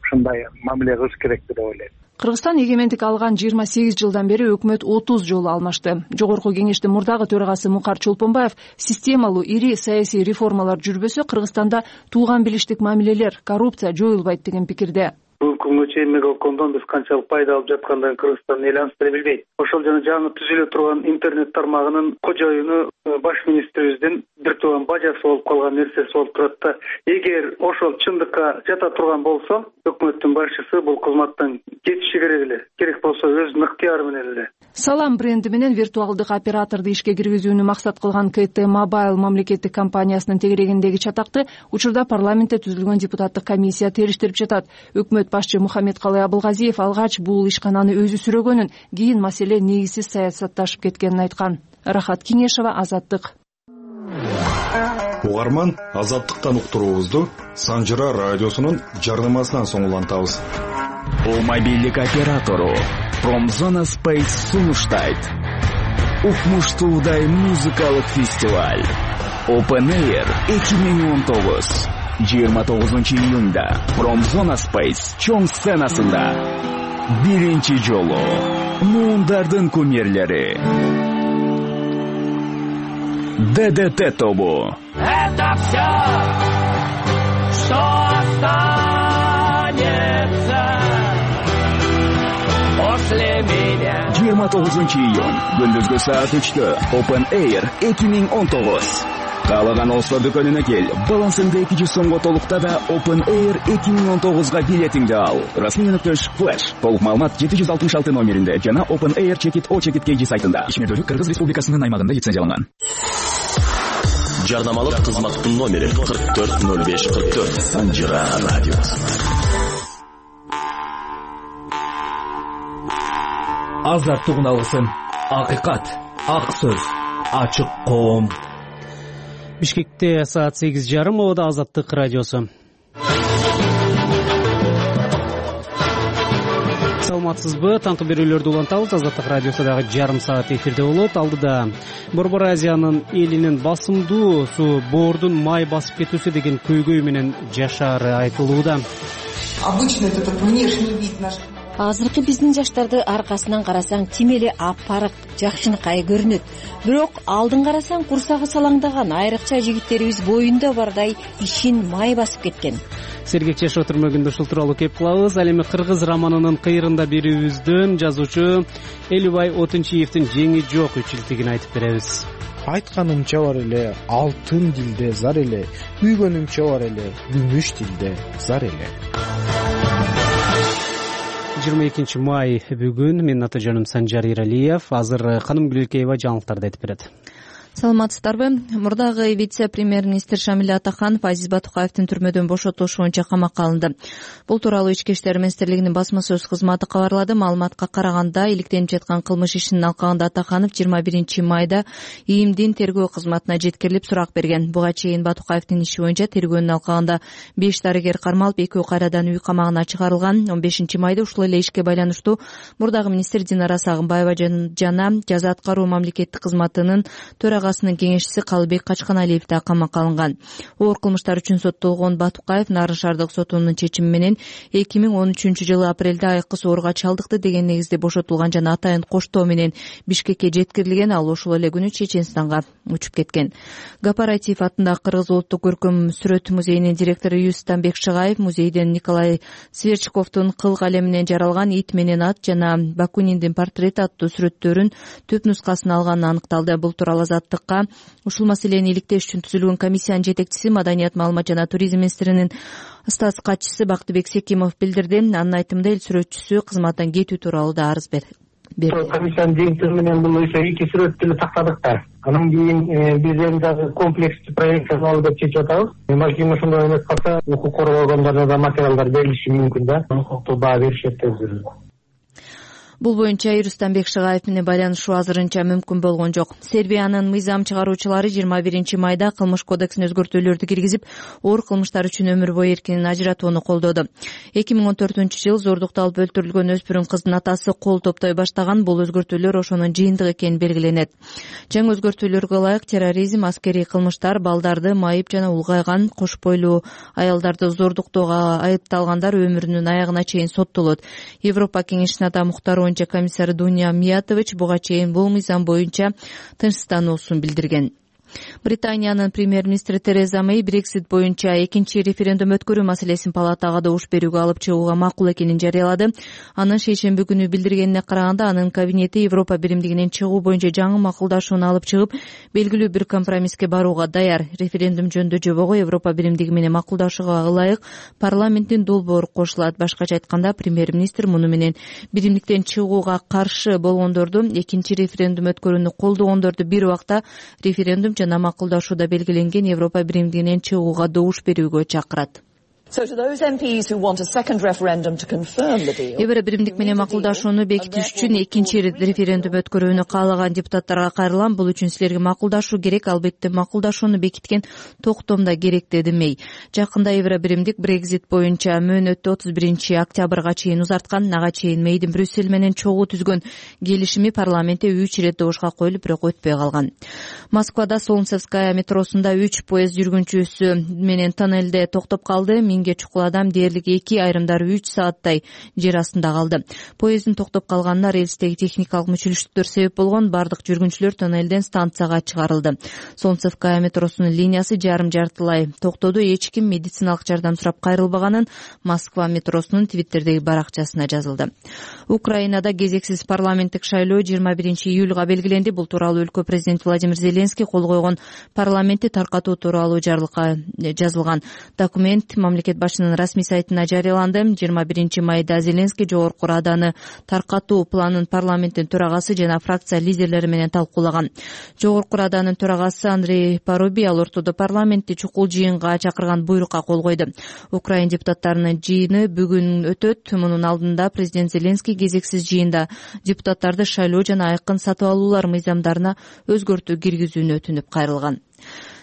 ушундай мамиле кылыш керек деп ойлойм. Кыргызстан эгемендик алган 28 жылдан бери өкмөт 30 жолу алмашты. Жогорку кеңештин мурдагы төрагасы Мукар Чолпонбаев системалуу ири саясий реформалар жүрбөсө Кыргызстанда тууган билиштик мамилелер, коррупция жоюлбайт деген пикирде. Бүгүнкү күнгө чейин Мегакомдон биз канчалык пайда алып жаткандыгын Кыргызстан эли анча билбейт. Ошол жана жаңы түзүлө турган интернет тармагынын кожоюну баш министрибиздин бир тууган бажасы болуп калган нерсеси болуп турат да. Эгер ошол чындыкка жата турган болсо, өкмөттүн башчысы бул кызматтан кетиши керек эле. Керек болсо өзүнүн ыктыяры менен эле. Салам бренди менен виртуалдык операторду ишке киргизүүнү максат кылган KT Mobile мамлекеттик компаниясынын тегерегиндеги чатакты учурда парламентте түзүлгөн депутаттык комиссия териштирип жатат. Өкмөт башчы Мухаммедкалый Абылгазиев алгач бул ишкананы өзү сүрөгөнүн, кийин маселе негизсиз саясатташып кеткенин айткан. Рахат Кеңешева, Азаттык. Угарман, Азаттыктан уктуруубузду Санжыра радиосунун жардамасынан соң улантабыз. Мобилдик оператору Промзона Space сунуштайт. Укмуштуудай музыкалык фестиваль Open Air 2019 29-июнда Промзона Space чоң сценасында биринчи жолу муундардын кумирлери ДДТ тобу. Это все, что останется после меня. 29-iyun gündüzgü saat 3'te Open Air 2019. Каалаган Олсо дүкөнүнө кел. Балансыңды 200 сомго толукта да Open Air 2019-га билетиңди ал. Расмий.Flash. Толук маалымат 766 номеринде жана Open Air Check-it KG сайтында. Ишмердүүлүк Кыргыз Республикасынын аймагында лицензияланган. Жарнамалык кызматтын номери 440544. Санжира радиосу. Азаттыгын алгысың. Акыйкат, ак сөз, ачык коом. Бишкекте саат 8:30, Обода Азаттык радиосу. Саламатсызбы? Танту берүүлөрдү улантабыз. Азаттык радиосу дагы жарым саат эфирде болот. Алдыда Борбор Азиянын элинин басымдуу боордун май басып кетүүсү деген көйгөй менен жашаары айтылууда. Обычно этот внешний вид наш. Азыркы биздин жаштарды аркасынан карасаң тим эле аппарак, жакшынакай көрүнөт. Бирок алдын карасаң курсагы салаңдаган, айрыкча жигиттерибиз боюнда бардай ишин май басып кеткен. Сергек жашоо түрмөгүндө ушул тууралуу кеп кылабыз. Ал эми кыргыз романынын кыйрында берүүбүздөн жазуучу Элибай Отунчиевдин жеңи жок үчилтигин айтып беребиз. Айтканымча бар эле, алтын дилде зар эле, күйгөнүмчө бар эле, күмүш дилде зар эле. 22 май бүгүн. Менин аты жөнүм Санжар Иралиев. Азыр Каным Гүлөлкеева жаңылыктарды айтып берет. Саламатсыздарбы? Мурдагы вице-премьер-министр Шамиль Атаханов Азиз Батукаевдин түрмөдөн бошотулушу боюнча камакка алынды. Бул тууралуу Ички иштер министрлигинин басма сөз кызматы кабарлады. Маалыматка караганда, иликтенип жаткан кылмыш ишинин алкагында Атаханов 21 майда ИИМдин тергөө кызматына жеткирилип сурак берген. Буга чейин Батукаевдин иши боюнча тергөөнүн алкагында 5 дарыгер кармалып, 2 кайрадан үй камагына чыгарылган. 15 майда ушул эле ишке байланыштуу мурдагы министр Динара Сагынбаева жана жаза аткаруу мамлекеттик кызматынын төрагасынын кеңешчиси Калыбек Качканалиев да камакка алынган. Оор кылмыштар үчүн соттолгон Батукаев Нарын шаардык сотунун чечими менен 2013-жылы апрелде айыккыс ооруга чалдыкты деген негизде бошотулган жана атайын коштоо менен Бишкекке жеткирилген. Ал ошол эле күнү Чеченстанга учуп кеткен. Гапаратиев атындагы Кыргыз улуттук көркөм сүрөт музейинин директору Юстанбек Шыгаев музейден Николай Сверчковдун кыл калеминен жаралган Ит менен ат жана Бакуниндин портрети аттуу сүрөттөрүн түп нускасын алганы аныкталды. Бул тууралуу Азаттыкка ушул маселени иликтеш үчүн түзүлгөн комиссиянын жетекчиси, Маданият, маалымат жана туризм министринин статс катчысы Бактыбек Секимов билдирди. Анын айтымында эл сүрөтчүсү кызматтан кетүү тууралуу да арыз берди. Комиссиянын жеңтиги менен бул ошо 2 сүрөттү эле тактадык да. Анан кийин биз эми дагы комплекстүү проект жасалабы деп чечип атабыз. Балким ошондой эмес калса, укук коргоо органдарына да материалдар берилиши мүмкүн да. Укуктук баа беришет деп жүрөбүз. Бул боюнча Юстанбек Шыгаев менен байланышуу азырынча мүмкүн болгон жок. Сербиянын мыйзам чыгаруучулары 21 майда кылмыш кодексине өзгөртүүлөрдү киргизип, оор кылмыштар үчүн өмүр бою эркинен ажыратууну колдоду. 2014-жылы зордукта алып өлтүрүлгөн өспүрүм кыздын атасы кол топтой баштаган. Бул өзгөртүүлөр ошонун жыйынтыгы экени белгиленет. Жаңы өзгөртүүлөргө ылайык терроризм, аскерий кылмыштар, балдарды майып жана улгайган кош бойлуу аялдарды зордуктоого айыпталгандар өмүрүнүн аягына чейин соттолот. Европа кеңешинин ата муктары боюнча комиссары Дуня Миятович буга чейин бул мыйзам боюнча тынчсыздануусун билдирген. Британиянын премьер-министри Тереза Мэй Брексит боюнча экинчи референдум өткөрүү маселесин палатага добуш берүүгө алып чыгууга макул экенин жарыялады. Анын шейшемби күнү билдиргенине караганда, анын кабинети Европа биримдигинен чыгуу боюнча жаңы макулдашууну алып чыгып, белгилүү бир компромисске барууга даяр. Референдум жөнүндө жобого Европа биримдиги менен макулдашууга ылайык парламенттин долбоору кошулат. Башкача айтканда, премьер-министр муну менен биримдиктен чыгууга каршы болгондорду, экинчи референдум өткөрүүнү колдогондорду бир убакта референдум жана макулдашууда белгиленген Европа биримдигинен чыгууга добуш берүүгө чакырат. Евро биримдик менен макулдашууну бекитиш үчүн экинчи референдум өткөрүүнү каалаган депутаттарга кайрылам. Бул үчүн силерге макулдашуу керек, албетте макулдашууну бекиткен токтомда керек, деди Мэй. Жакында Евро биримдик Брексит боюнча мөөнөттү 31 октябрга чейин узарткан. Ага чейин Мэйдин Брюссель менен чогуу түзгөн келишими парламентте 3 ирет добушка коюлуп, бирок өтпөй калган. Москвада Солнцевская метросунда 3 поезд жүргүнчүсү менен тоннелде токтоп калды. кийинге чукул адам дээрлик 2, айрымдары 3 сааттай жер астында калды. Поезддин токтоп калганына рельстеги техникалык мүчүлүштүктөр себеп болгон. Бардык жүргүнчүлөр тоннелден станцияга чыгарылды. Солнцевская метросунун линиясы жарым-жартылай токтоду. Эч ким медициналык жардам сурап кайрылбаганын Москва метросунун Твиттердеги баракчасына жазылды. Украинада кезексиз парламенттик шайлоо 21 июлга белгиленди. Бул тууралуу өлкө президенти Владимир Зеленский кол койгон парламентти таркатуу тууралуу жарлыкка жазылган документ мамлекет башчынын расмий сайтына жарыяланды. 21 майда Зеленский Жогорку Раданы таркатуу планын парламенттин төрагасы жана фракция лидерлери менен талкуулаган. Жогорку Раданын төрагасы Андрей Парубий ал ортодо парламентти чукул жыйынга чакырган буйрукка кол койду. Украин депутаттарынын жыйыны бүгүн өтөт. Мунун алдында президент Зеленский кезексиз жыйында депутаттарды шайлоо жана айкын сатып алуулар мыйзамдарына өзгөртүү киргизүүнү өтүнүп кайрылган.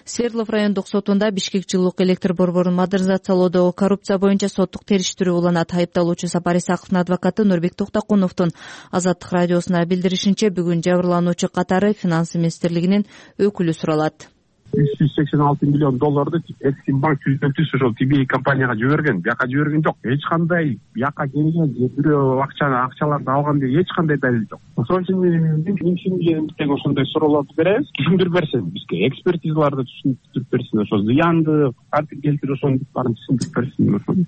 Свердлов райондук сотунда Бишкек жылуулук электр борборун модернизациялоодо коррупция боюнча соттук териштирүү уланат. Айыпталуучу Сапар Исаковдун адвокаты Нурбек Токтокуновдун Азаттык радиосуна билдиришинче, бүгүн жабырлануучу катары финанс министрлигинин өкүлү суралат. $186 миллион Эксимбанк түзүлтүүсү ошол TBA компанияга жиберген. Бияка жиберген жок. Эч кандай бияка келген бирөө акчаларды алган деп эч кандай далил жок. Ошон үчүн мен ошондой суроолорду беребиз. Түшүндүрүп берсин бизге, экспертизаларды түшүндүрүп берсин, ошо зыянды, кантип келтирип ошонун баарын түшүндүрүп берсин.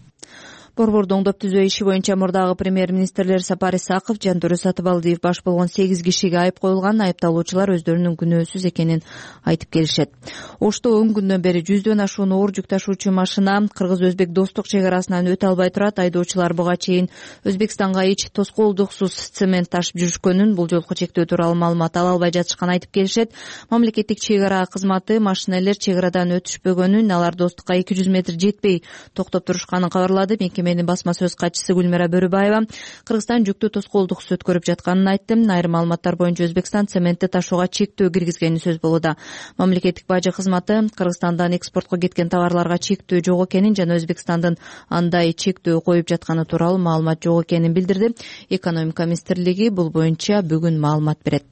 Борборду оңдоп түзөө иши боюнча мурдагы премьер-министрлер Сапар Исаков, Жантөре Сатыбалдиев баш болгон 8 кишиге айып коюлган. Айыпталуучулар өздөрүнүн күнөөсүз экенин айтып келишет. Ошто 10 күндөн бери 100дөн ашуун оор жүк ташуучу машина кыргыз-өзбек достук чек арасынан өтө албай турат. Айдоочулар буга чейин Өзбекстанга эч тоскоолдуксуз цемент ташып жүрүшкөнүн, бул жолку чектөө тууралуу маалымат ала албай жатышканын айтып келишет. Мамлекеттик чек ара кызматы машинелер чек арадан өтүшпөгөнүн, алар достукка 200 метр жетпей токтоп турушканын кабарлады. Менин басма сөз катчысы Гүлмира Бөрүбаева Кыргызстан жүктү тоскоолдуксуз өткөрүп жатканын айтты. Айрым маалыматтар боюнча Өзбекстан цементти ташууга чектөө киргизгени сөз болууда. Мамлекеттик бажы кызматы Кыргызстандан экспортко кеткен товарларга чектөө жок экенин жана Өзбекстандын андай чектөө коюп жатканы тууралуу маалымат жок экенин билдирди. Экономика министрлиги бул боюнча бүгүн маалымат берет.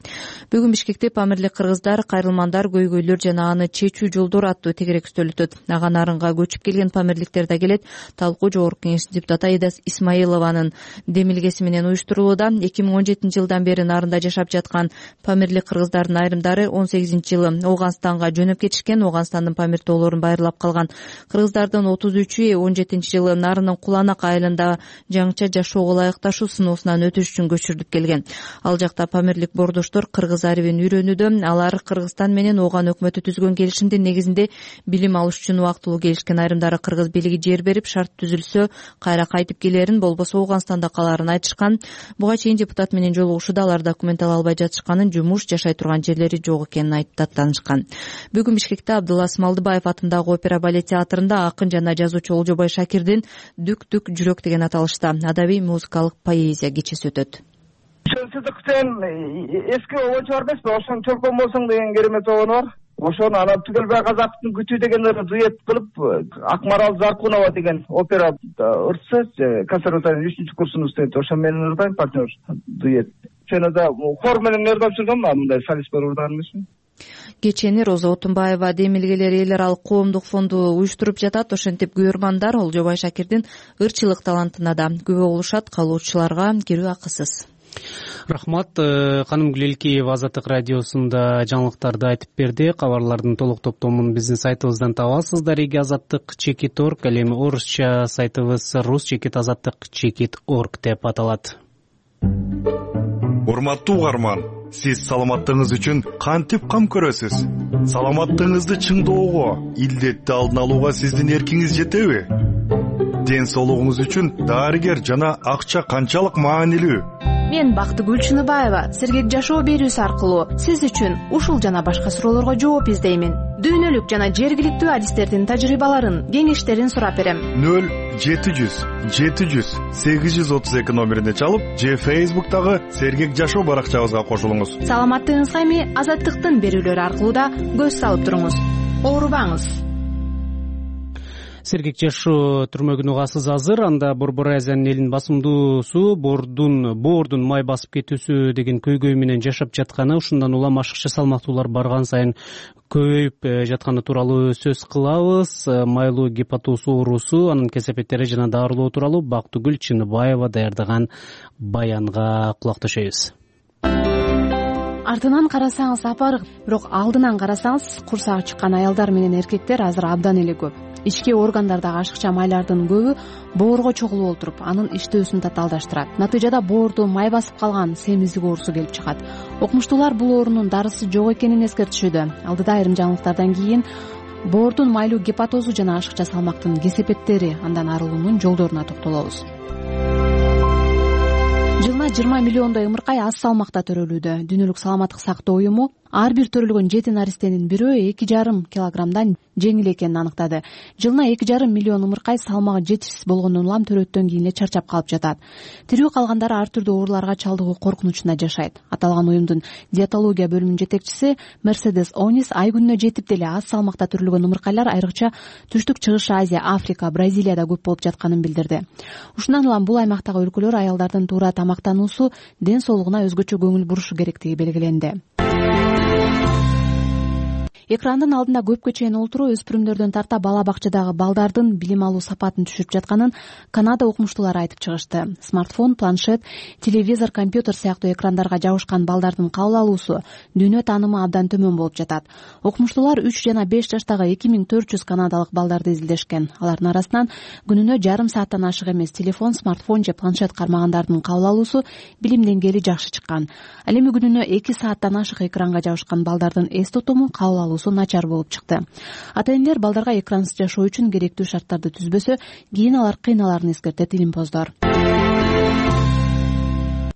Бүгүн Бишкекте Памирлик кыргыздар, кайрылмандар, көйгөйлөр жана аны чечүү жолдору аттуу тегерек үстөл өтөт. Ага нарынга көчүп келген памирликтер да келет. Талкуу жогорку депутат Аида Исмаилованын демилгеси менен уюштурулууда. 2017 жылдан бери нарында жашап жаткан памирлик кыргыздардын айрымдары 18-жылы Ооганстанга жөнөп кетишкен. Ооганстандын Памир тоолорун байырлап калган кыргыздардын 33-үй 17-жылы нарынын Куланак айылында жаңыча жашоого ылайыкташуу сыноосунан өтүш үчүн көчүрүлүп келген. Ал жакта памирлик бордоштор кыргыз арибин үйрөнүүдө. Алар Кыргызстан менен Ооган өкмөтү түзгөн келишимдин негизинде билим алыш үчүн убактылуу келишкен. Айрымдары кыргыз бийлиги жер берип, шарт түзүлсө кайра кайтып келерин, болбосо Ооганстанда калаарын айтышкан. Буга чейин депутат менен жолугушууда алар документ ала албай жатышканын, жумуш, жашай турган жерлери жок экенин айтып даттанышкан. Бүгүн Бишкекте Абдулла Смалдыбаев атындагы опера балет театрында акын жана жазуучу Олжобой Шакирдин «Дүк-дүк жүрөк» деген аталышта адабий музыкалык поэзия кечеси өтөт. Сыздык сен эски обочу бар эмеспи? Ошону чолпон болсоң деген керемет обону бар. Ошону анан Түгелбай Казактын күтүү деген дуэт кылып, Акмарал Заркунова деген опера ырчысы, консерваториянын 3-курсунун студенти, ошо менен ырдайм, партнер дуэт. Жана да хор менен ырдап жүргөм, мындай солист бар ырдаган эмесмин. Кечени Роза Отунбаева демилгелер эл аралык коомдук фонду уюштуруп жатат. Ошентип күйөрмандар Олжобой Шакирдин ырчылык талантына да күбө болушат. Калуучуларга кирүү акысыз. Рахмат. Каным Гүлелкеева Азаттык радиосунда жаңылыктарды айтып берди. Кабарлардын толук топтомун биздин сайтыбыздан табасыздар. @azattik.org, ал эми орусча сайтыбыз rus.azattik.org деп аталат. Урматтуу угарман, сиз саламаттыгыңыз үчүн кантип кам көрөсүз? Саламаттыгыңызды чыңдоого, илдетти алдын алууга сиздин эркиңиз жетеби? Ден соолугуңуз үчүн дарыгер жана акча канчалык маанилүү? Мен Бактыгүл Чыныбаева сергек жашоо берүүсү аркылуу сиз үчүн ушул жана башка суроолорго жооп издеймин. Дүйнөлүк жана жергиликтүү адистердин тажрыйбаларын, кеңештерин сурап берем. 0-700-832 номерине чалып, же Facebook'тагы сергек жашоо баракчабызга кошулуңуз. Саламаттыгыңызга эми Азаттыктын берүүлөрү аркылуу да көз салып туруңуз. Оорубаңыз. Сергек жашоо түрмө күнүгасыз азыр. Анда Борбор Азиянын элинин басымдуусу боордун май басып кетүүсү деген көйгөй менен жашап жатканы, ушундан улам ашыкча салмактуулар барган сайын көбөйүп жатканы тууралуу сөз кылабыз. Майлуу гепатоз оорусу, анын кесепеттери жана дарылоо тууралуу Бактыгүл Чыныбаева даярдаган баянга кулак төшөйбүз. Артынан карасаңыз апарык, бирок алдынан карасаңыз курсагы чыккан аялдар менен эркектер азыр абдан эле көп. Ички органдардагы ашыкча майлардын көбү боорго чогулуп олтуруп, анын иштөөсүн татаалдаштырат. Натыйжада боорду май басып калган семиздик оорусу келип чыгат. Окумуштуулар бул оорунун дарысы жок экенин эскертишүүдө. Алдыда айрым жаңылыктардан кийин боордун майлуу гепатозу жана ашыкча салмактын кесепеттери, андан арылуунун жолдоруна токтолобуз. Жылына 20 миллиондой ымыркай аз салмакта төрөлүүдө. Дүйнөлүк саламаттык сактоо уюму ар бир төрөлгөн 7 наристенин бирөө 2,5 килограммдан жеңил экенин аныктады. Жылына 2,5 миллион ымыркай салмагы жетишсиз болгондон улам төрөттөн кийин эле чарчап калып жатат. Тирүү калгандары ар түрдүү ооруларга чалдыгуу коркунучунда жашайт. Аталган уюмдун диетология бөлүмүнүн жетекчиси Мерседес Онис ай күнүнө жетип деле аз салмакта төрөлгөн ымыркайлар айрыкча Түштүк Чыгыш Азия, Африка, Бразилияда көп болуп жатканын билдирди. Ушундан улам бул аймактагы өлкөлөр аялдардын туура тамактануусу, ден соолугуна өзгөчө көңүл бурушу керектиги белгиленди. Экрандын алдында көпкө чейин олтуруу өспүрүмдөрдөн тарта бала бакчадагы балдардын билим алуу сапатын түшүрүп жатканын Канада окумуштуулары айтып чыгышты. Смартфон, планшет, телевизор, компьютер сыяктуу экрандарга жабышкан балдардын кабыл алуусу, дүйнө таанымы абдан төмөн болуп жатат. Окумуштуулар 3 жана 5 жаштагы 2400 канадалык балдарды изилдешкен. Алардын арасынан күнүнө жарым сааттан ашык эмес телефон, смартфон же планшет кармагандардын кабыл алуусу, билим деңгээли жакшы чыккан. Ал эми күнүнө 2 сааттан ашык экранга жабышкан балдардын эс тутуму, кабыл алуусу начар болуп чыкты. Ата-энелер балдарга экрансыз жашоо үчүн керектүү шарттарды түзбөсө, кийин алар кыйналарын эскертет илимпоздор.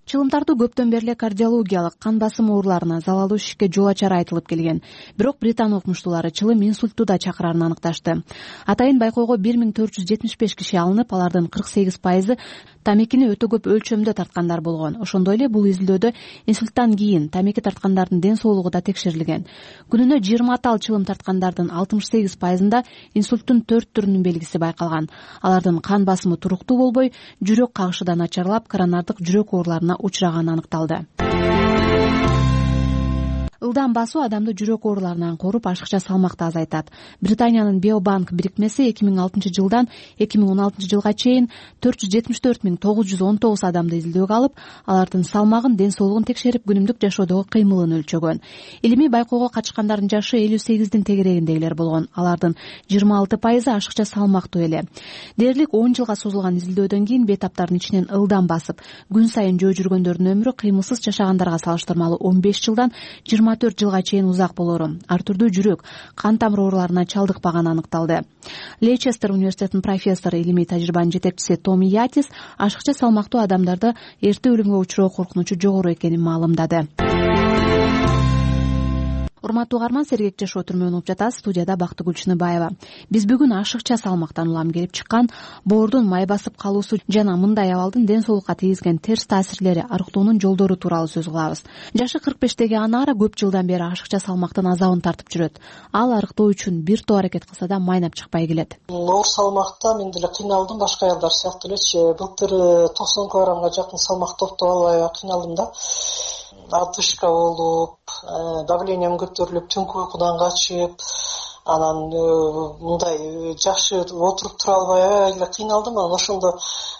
Чылымтартуу көптөн бери эле кардиологиялык, кан басымы ооруларына, залалдуу ишикке жол ачары айтылып келген. Бирок Британ окумуштуулары чылым инсультту да чакырарын аныкташты. Атайын байкоого 1475 киши алынып, алардын 48% тамекини өтө көп өлчөмдө тарткандар болгон. Ошондой эле бул изилдөөдө инсульттан кийин тамеки тарткандардын ден соолугу да текшерилген. Күнүнө 20 тал чылым тарткандардын 68%да инсульттун 4 түрүнүн белгиси байкалган. Алардын кан басымы туруктуу болбой, жүрөк кагышы да начарлап, коронардык жүрөк ооруларына учураганы аныкталды. Ылдам басуу адамды жүрөк ооруларынан коруп, ашыкча салмакты азайтат. Британиянын Биобанк бирикмеси 2006 жылдан 2016 жылга чейин 474.919 адамды изилдөөгө алып, алардын салмагын, ден соолугун текшерип, күнүмдүк жашоодогу кыймылын өлчөгөн. Илимий байкоого катышкандардын жашы 58-дин тегерегиндегилер болгон. Алардын 26% ашыкча салмактуу эле. Дээрлик 10 жылга созулган изилдөөдөн кийин бейтаптардын ичинен ылдам басып, күн сайын жөө жүргөндөрдүн өмүрү кыймылсыз жашагандарга салыштырмалуу 15 жылдан 24 жылга чейин узак болору, ар түрдүү жүрөк, кан тамыр ооруларына чалдыкпаганы аныкталды. Лейчестер университетинин профессору, илимий тажрыйбанын жетекчиси Томи Ятис ашыкча салмактуу адамдарда эрте өлүмгө учуроо коркунучу жогору экенин маалымдады. Урматтуу угарман, Сергек жашоо түрмө угуп жатасыз. Студияда Бактыгүл Чыныбаева. Биз бүгүн ашыкча салмактан улам келип чыккан боордун май басып калуусу жана мындай абалдын ден соолукка тийгизген терс таасирлери, арыктоонун жолдору тууралуу сөз кылабыз. Жашы 45теги Анара көп жылдан бери ашыкча салмактын азабын тартып жүрөт. Ал арыктоо үчүн бир топ аракет кылса да майнап чыкпай келет. Оор салмакта мен деле кыйналдым, башка аялдар сыяктуу элечи. Былтыр 90 килограммга жакын салмак топтоп албай кыйналдым да. Отдышка болуп, давлением көтөрүлүп, түнкү уйкудан качып, анан мындай жакшы отуруп тура албай эле кыйналдым. Анан ошондо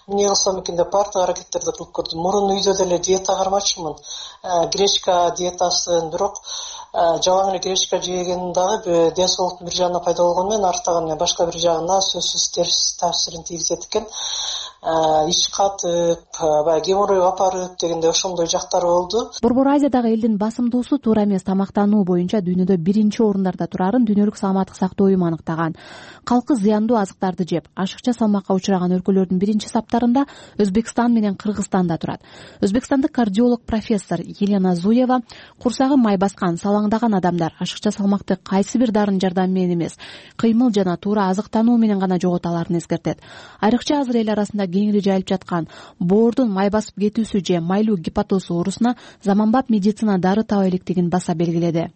эмне кылсам экен деп баардык аракеттерди кылып көрдүм. Мурун үйдө деле диета кармачымын, гречка диетасын, бирок жалаң эле гречка жеген дагы ден соолуктун бир жагына пайда болгону менен арттагы башка бир жагына сөзсүз терс таасирин тийгизет экен. Ич катып, баягы геморрой апарып дегендей ошондой жактары болду. Борбор Азиядагы элдин басымдуусу туура эмес тамактануу боюнча дүйнөдө биринчи орундарда турарын Дүйнөлүк саламаттык сактоо уюму аныктаган. Калкы зыяндуу азыктарды жеп, ашыкча салмакка учураган өлкөлөрдүн биринчи саптарында Өзбекстан менен Кыргызстан да турат. Өзбекстандык кардиолог профессор Елена Зуева курсагы май баскан, салаңдаган адамдар ашыкча салмакты кайсы бир дарын жардамы менен эмес, кыймыл жана туура азыктануу менен гана жогото аларын эскертет. Айрыкча азыр эл арасында кеңири жайылып жаткан боордун май басып кетүүсү же майлуу гепатоз оорусуна заманбап медицина дары таба электигин баса белгиледи.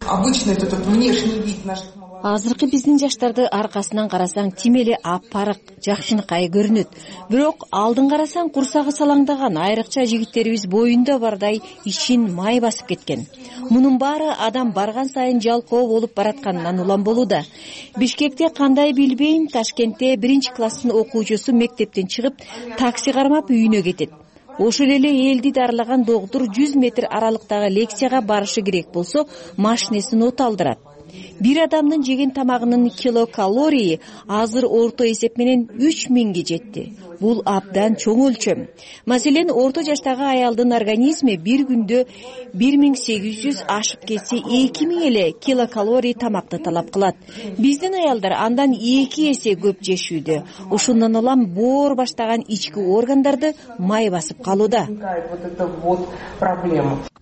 азыркы биздин жаштарды аркасынан карасаң тим эле аппарык, жакшынакай көрүнөт. Бирок алдын карасаң курсагы салаңдаган, айрыкча жигиттерибиз боюнда бардай ичин май басып кеткен. Мунун баары адам барган сайын жалкоо болуп баратканынан улам болууда. Бишкекте кандай билбейм, Ташкентте 1-класстын окуучусу мектептен чыгып, такси кармап үйүнө кетет. Ошол эле элди дарылаган доктур 100 метр аралыктагы лекцияга барышы керек болсо, машинесин от алдырат. Бир адамдын жеген тамагынын килокалории азыр орто эсеп менен 3000ге жетти. Бул абдан чоң өлчөм. Маселен, орто жаштагы аялдын организми бир күндө 1800 ашып кетсе 2000 эле килокалорий тамакты талап кылат. Биздин аялдар андан 2 эсе көп жешүүдө. Ошондон улам боор баштаган ички органдарды май басып калууда.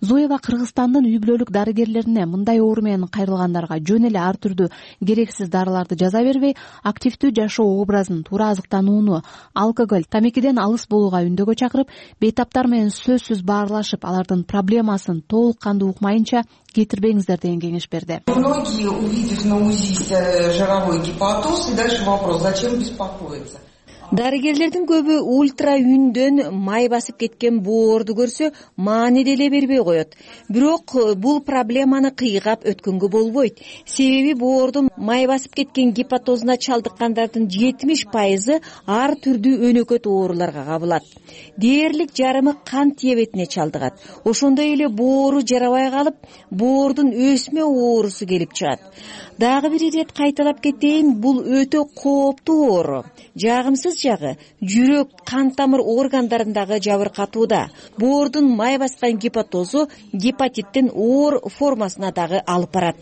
Зуева Кыргызстандын үй бүлөлүк дарыгерлерине мындай оору менен кайрылгандарга жөн эле ар түрдүү керексиз дарыларды жаза бербей, активдүү жашоо образын, туура азыктанууну, алкоголь, тамекиден алыс болууга үндөгө чакырып, бейтаптар менен сөзсүз баарлашып, алардын проблемасын толук кандуу укмайынча кетирбеңиздер деген кеңеш берди. Многие, увидев на УЗИ жировой гепатоз, и дальше вопрос, зачем беспокоиться? Дарыгерлердин көбү ультра үндөн май басып кеткен боорду көрсө, маани деле бербей коет. Бирок бул проблеманы кыйгап өткөнгө болбойт. Себеби боордун май басып кеткен гепатозуна чалдыккандардын 70% ар түрдүү өнөкөт ооруларга кабылат. Дээрлик жарымы кант диабетине чалдыгат. Ошондой эле боору жарабай калып, боордун өсмө оорусу келип чыгат. Дагы бир ирет кайталап кетейин, бул өтө кооптуу оору. Жагымсыз жагы жүрөк, кан тамыр органдарындагы жабыркатууда. Боордун май баскан гепатозу гепатиттин оор формасына дагы алып барат.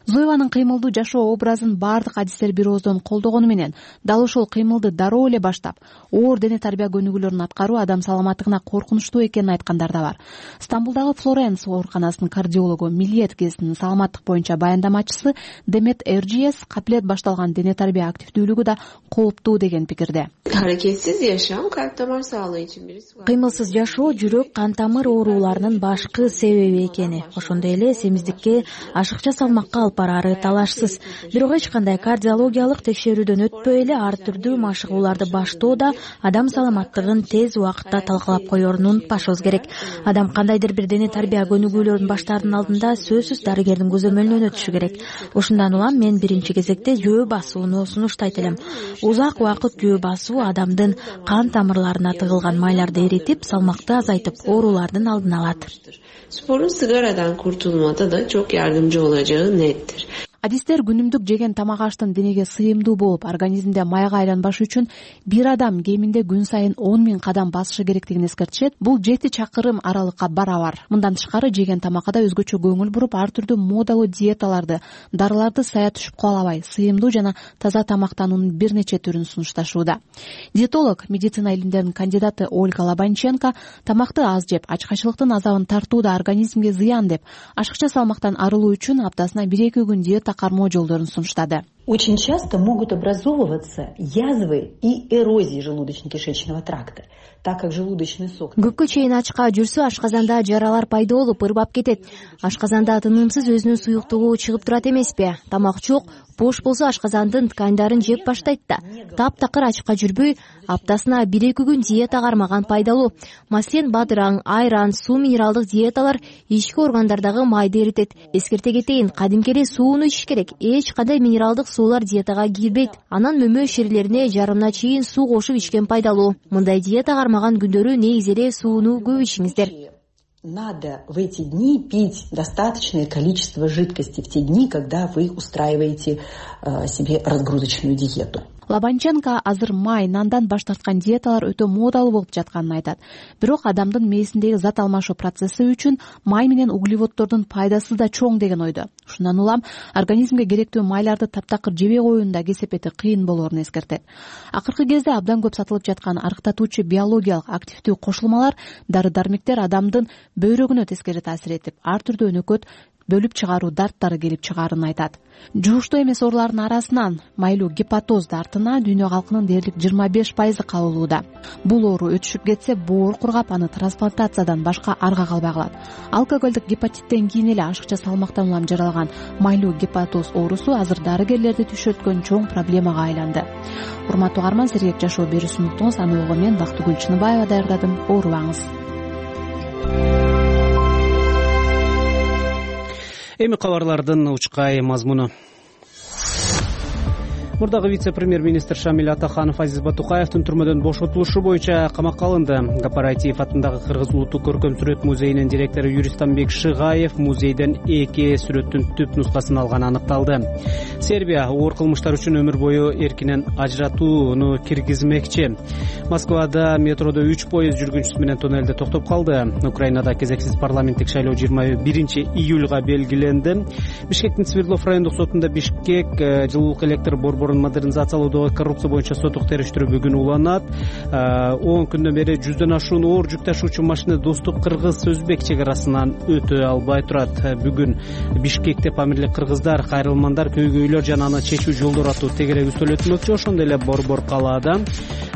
Зоеванын кыймылдуу жашоо образын баардык адистер бир ооздон колдогону менен, дал ошол кыймылды дароо эле баштап, оор дене тарбия көнүгүүлөрүн аткаруу адам саламаттыгына коркунучтуу экенин айткандар да бар. Стамбулдагы Флоренс ооруканасынын кардиологу, Милет гезитинин саламаттык боюнча баяндамачысы Демет Эрджиес капилет башталган дене тарбия активдүүлүгү да кооптуу деген пикирде. Аракетсиз жашам калп тамыр саалыгы үчүн бирisi. Кыймылсыз жашоо жүрөк, кан тамыр ооруларынын башкы себеби экени, ошондой эле семиздикке, ашыкча салмакка алып барары талашсыз. Бирок эч кандай кардиологиялык текшерүүдөн өтпөй эле ар түрдүү машыгууларды баштоо да адам саламаттыгын тез убакытта талкалап коерун унутпашыбыз керек. Адам кандайдыр бир дене тарбия көнүгүүлөрүн баштаардын алдында сөзсүз дарыгердин көзөмөлүнөн өтүшү керек. Ошундан улам мен биринчи кезекте жөө басууну сунуштайт элем. Узак убакыт жөө басуу адамдын кан тамырларына тыгылган майларды эритип, салмакты азайтып, оорулардын алдын алат. Спорун сигарадан куртулмада да çok yardımcı olacağı nettir. Адистер күнүмдүк жеген тамак аштын денеге сыйымдуу болуп, организмде майга айланбаш үчүн бир адам кеминде күн сайын 10 000 кадам басышы керектигин эскертишет. Бул 7 чакырым аралыкка барабар. Мындан тышкары жеген тамакка да өзгөчө көңүл буруп, ар түрдүү модалуу диеталарды, дарыларды сая түшүп калабай, сыйымдуу жана таза тамактануунун бир нече түрүн сунушташууда. Диетолог, медицина илимдеринин кандидаты Ольга Лобанченко тамакты аз жеп, ачкачылыктын азабын тартууда организмге зыян деп, ашыкча салмактан арылуу үчүн аптасына 1-2 күн диета кармоо жолдорун сунуштады. Очень часто могут образовываться язвы и эрозии желудочно-кишечного тракта, так как желудочный сок. Көпкө чейин ачка жүрсө, ашказанда жаралар пайда болуп, ырбап кетет. Ашказанда тынымсыз өзүнүн суюктугу чыгып турат эмеспи? Тамак жок, бош болсо ашказандын тканьдарын жеп баштайт да. Таптакыр ачка жүрбөй, аптасына 1-2 күн диета кармаган пайдалуу. Маселен, бадыраң, айран, суу минералдык диеталар ички органдардагы майды эритет. Эскерте кетейин, кадимки эле сууну ичиш керек. Эч кандай минералдык суулар диетага кирбейт. Анан мөмө шерилерине жарымына чейин суу кошуп ичкен пайдалуу. Мындай диета кармаган күндөрү негизи эле сууну көп ичиңиздер. Надо в эти дни пить достаточное количество жидкости, в те дни, когда вы устраиваете себе разгрузочную диету. Лобанченко азыр май, нандан баш тарткан диеталар өтө модалуу болуп жатканын айтат. Бирок адамдын мээсиндеги зат алмашуу процесси үчүн май менен углеводдордун пайдасы да чоң деген ойдо. Ушундан улам организмге керектүү майларды таптакыр жебей коюунун да кесепети кыйын болоорун эскертет. Акыркы кезде абдан көп сатылып жаткан арыктатуучу биологиялык активдүү кошулмалар, дары-дармектер адамдын бөйрөгүнө тескери таасир этип, ар түрдүү өнөкөт бөлүп чыгаруу дарттары келип чыгаарын айтат. Жугуштуу эмес оорулардын арасынан майлуу гепатоз дартына дүйнө калкынын дээрлик 25% кабылууда. Бул оору өтүшүп кетсе, боор кургап, аны трансплантациядан башка арга калбай калат. Алкоголдук гепатиттен кийин эле ашыкча салмактан улам жаралган майлуу гепатоз оорусу азыр дарыгерлерди түшөткөн чоң проблемага айланды. Урматтуу угарман, сергек жашоо берүүсүн уктуңуз. Аны угуу мен Бактыгүл Чыныбаева даярдадым. Оорубаңыз. Эми кабарлардын учкай мазмуну. Мурдагы вице-премьер-министр Шамиль Атаханов Азиз Батукаевдин түрмөдөн бошотулушу боюнча камакка алынды. Кооператив атындагы Кыргыз улуттук көркөм сүрөт музейинин директору Юристанбек Шыгаев музейден эки сүрөттүн түп нускасын алганы аныкталды. Сербия оор кылмыштар үчүн өмүр бою эркинен ажыратууну киргизмекчи. Москвада метродо 3 поезд жүргүнчүсү менен тоннелде токтоп калды. Украинада кезексиз парламенттик шайлоо 21-июлга белгиленди. Бишкектин Свердлов райондук сотунда Бишкек жылуулук электр борборун модернизациялоодогу коррупция боюнча соттук териштирүү бүгүн уланат. 10 күндөн бери 100дөн ашуун оор жүк ташуучу машина Достук кыргыз-өзбек чек арасынан өтө албай турат. Бүгүн Бишкекте Памирлик кыргыздар, кайрылмандар, көйгөйлөр жана аны чечүү жолдору аттуу тегерек үстөл өтмөкчү. Ошондой эле борбор калаада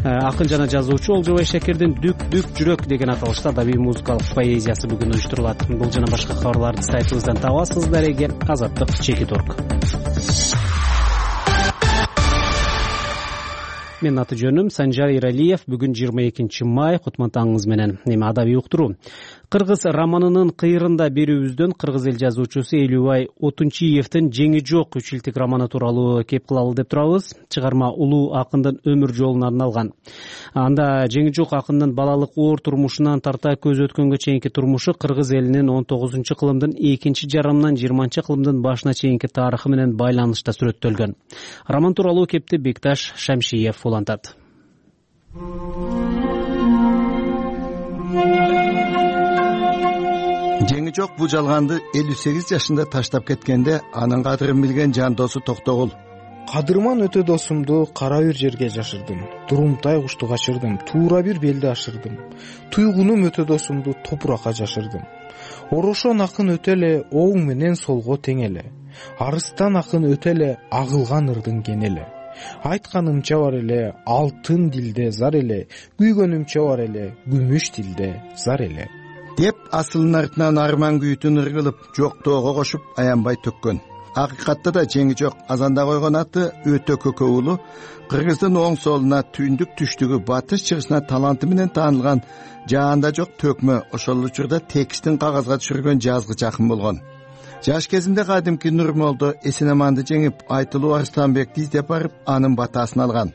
акын жана жазуучу Олжобай Шакирдин Дүк Дүк жүрөк деген аталышта адабий музыкалык поэзиясы бүгүн уюштурулат. Бул жана башка кабарларды сайтыбыздан табасыз. Дареге Азаттык Чекит.орг. Менин аты жөнүм Санжар Иралиев. Бүгүн 22 май, кутман таңыңыз менен. Эми адабий уктуруу. Кыргыз романынын кыйрында берүүбүздөн кыргыз эл жазуучусу Элюбай Отунчиевдин Жеңи жок 3 жылдык романы тууралуу кеп кылалы деп турабыз. Чыгарма улуу акындын өмүр жолуна арналган. Анда Жеңи жок акындын балалык оор турмушунан тарта көз өткөнгө чейинки турмушу кыргыз элинин 19-кылымдын экинчи жарымынан 20-кылымдын башына чейинки тарыхы менен байланышта сүрөттөлгөн. Роман тууралуу кепти Бекташ Шамшиев улантат. Жеңи жок бул жалганды 58 жашында таштап кеткенде анын кадырын билген жан досу Токтогул. Кадырман өтө досумду кара бир жерге жашырдым. Турумтай кушту качырдым, туура бир белди ашырдым. Туйгунум өтө досумду топуракка жашырдым. Орошон акын өтө эле оң менен солго тең эле. Арыстан акын өтө эле агылган ырдын кен эле. Айтканымча бар эле алтын дилде зар эле, күйгөнүмчө бар эле күмүш дилде зар эле деп асылын артынан арман күйүтүн ыргылып жоктоого кошуп аянбай төккөн. Акыйкатта да Жеңи жок азанда койгон аты өтө көкө уулу, Кыргыздын оң солуна, түндүк түштүгү, батыш чыгышына таланты менен таанылган жаанда жок төкмө, ошол учурда текстин кагазга түшүргөн жазгыч акын болгон. Жаш кезинде кадимки Нурмолдо Эсенаманды жеңип, Айтылуу Арстанбекти издеп барып, анын батасын алган.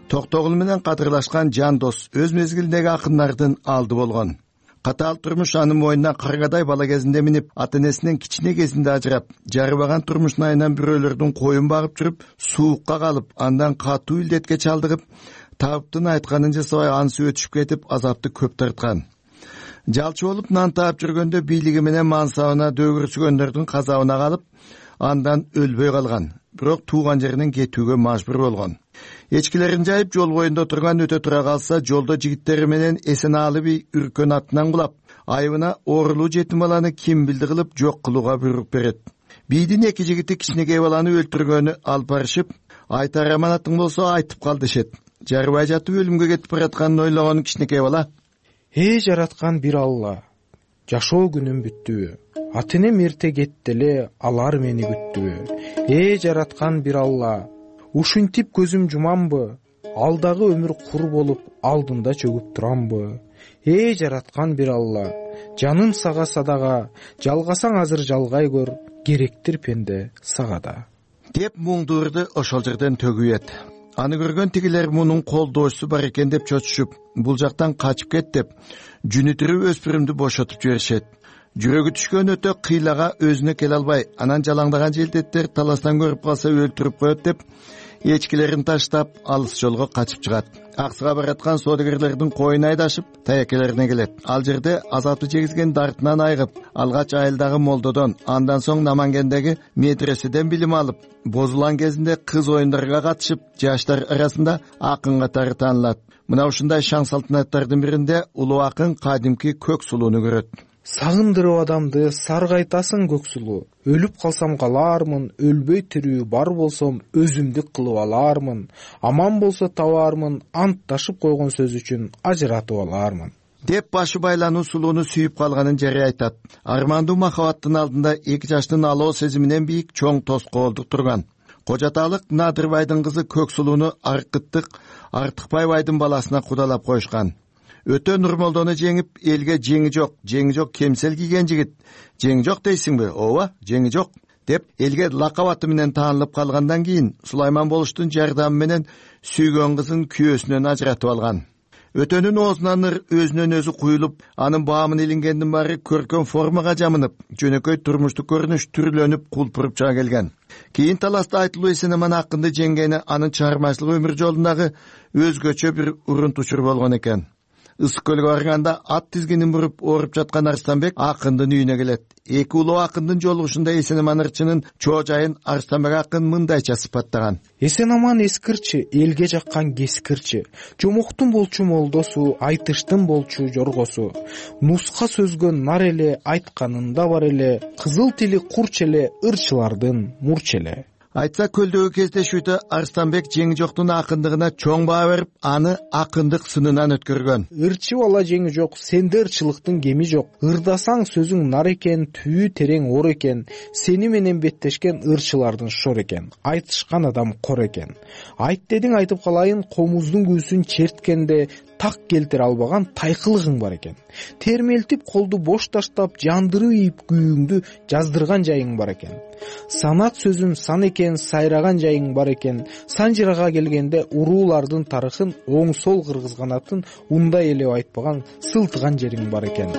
Токтогул менен кадырлашкан жан дос өз мезгилиндеги акындардын алды болгон. Катаал турмуш анын мойнуна каргадай бала кезинде минип, ата-энесинен кичине кезинде ажырап, жарыбаган турмуштун айынан бирөөлөрдүн коюн багып жүрүп, суукка калып, андан катуу илдетке чалдыгып, табыптын айтканын жасабай ансы өтүшүп кетип, азапты көп тарткан. Жалчы болуп нан таап жүргөндө бийлиги менен мансабына дөгүрсүгөндөрдүн казабына калып, андан өлбөй калган. Бирок тууган жеринен кетүүгө мажбур болгон. Эчкилерин жайып жол боюнда турган өтө тура калса, жолдо жигиттери менен Эсенаалы би үркөн атынан кулап, айыбына оорулуу жетим баланы ким билди кылып жок кылууга буйрук берет. Бийдин эки жигити кичинекей баланы өлтүргөнү алып барышып, айтар аманатың болсо айтып кал дешет. Жарыбай жатып өлүмгө кетип баратканын ойлогон кичинекей бала: жараткан бир Алла, жашоо күнүм бүттүбү? Ата-энем эрте кетти эле, алар мени күттүбү? Жараткан бир Алла, ушинтип көзүм жумамбы? Алдагы өмүр кур болуп, алдында чөгүп турамбы? Жараткан бир Алла, жаным сага садага, жалгасаң азыр жалгай көр, керектир пенде сага да. Деп муңдурду ошол жерден төгүп. Аны көргөн тигилер мунун колдоочусу бар экен деп чочушуп, бул жактан качып кет деп, жүнүтүрүп өспүрүмдү бошотуп жиберишет. Жүрөгү түшкөн өтө кыйлага өзүнө келе албай, анан жалаңдаган желдеттер таластан көрүп калса өлтүрүп коет деп, эчкилерин таштап, алыс жолго качып чыгат. Аксыга бараткан соодагерлердин коюн айдашып, таякелерине келет. Ал жерде азапты жегизген дартынан айгып, алгач айылдагы молдодон, андан соң Намангендеги медреседен билим алып, бозулган кезинде кыз оюндарга катышып, жаштар арасында акын катары таанылат. Мына ушундай шаң салтанаттардын биринде улуу акын кадимки көк сулууну көрөт. сагындырып адамды саргайтасың көк сулуу. Өлүп калсам калаармын, өлбөй тирүү бар болсом өзүмдүк кылып алаармын. Аман болсо табаармын, антташып койгон сөз үчүн ажыратып алаармын деп башы байлануу сулууну сүйүп калганын жарый айтат. Армандуу махабаттын алдында 2 жаштын алоо сезиминен бийик чоң тоскоолдук турган. Кожаталык Надырбайдын кызы Көксулууну Аркыттык Артыкбай байдын баласына кудалап коюшкан. Өтө Нурмолдону жеңип, элге жеңи жок кемсел кийген жигит. Жеңи жок дейсиңби? Ооба, жеңи жок деп элге лакап аты менен таанылып калгандан кийин Сулайман болуштун жардамы менен сүйгөн кызын күйөөсүнөн ажыратып алган. Өтөнүн оозунан өзүнөн өзү куюлуп, анын баамын илингендин баары көркөм формага жамынып, жөнөкөй турмуштук көрүнүш түрлөнүп, кулпуруп чыга келген. Кийин таласта Айтылуу Эсенаман акынды жеңгени анын чыгармачылык өмүр жолундагы өзгөчө бир урун-тучур болгон экен. Ысык көлгө барганда ат тизгинин буруп ооруп жаткан Арстанбек акындын үйүнө келет. Эки улуу акындын жолугушунда Эсенаман ырчынын чоожайын Арстанбек акын мындайча сыпаттаган. Эсенаман эскирчи, элге жаккан кескирчи, жомоктун болчу молдосу, айтыштын болчу жоргосу. Нуска сөзгө нар эле, айтканында бар эле, кызыл тили курч эле, ырчылардын мурч эле. Айтса көлдөгү кездешүүдө Арстанбек жеңи жоктун акындыгына чоң баа берип, аны акындык сынынан өткөргөн. Ырчы бала жеңи жок, сенде ырчылыктын кеми жок. Ырдасаң сөзүң нар экен, түбү терең ор экен. Сени менен беттешкен ырчылардын шор экен. Айтышкан адам кор экен. Айт дедиң айтып калайын, комуздун күүсүн черткенде так келтире албаган тайкылыгың бар экен. Термелтип колду бош таштап, жандырып ийип күйүңдү жаздырган жайың бар экен. Санат сөзүм сан экен, сайраган жайың бар экен. Санжырага келгенде уруулардын тарыхын оң сол кыргызганатын ундай эле айтпаган, сылтыган жериң бар экен.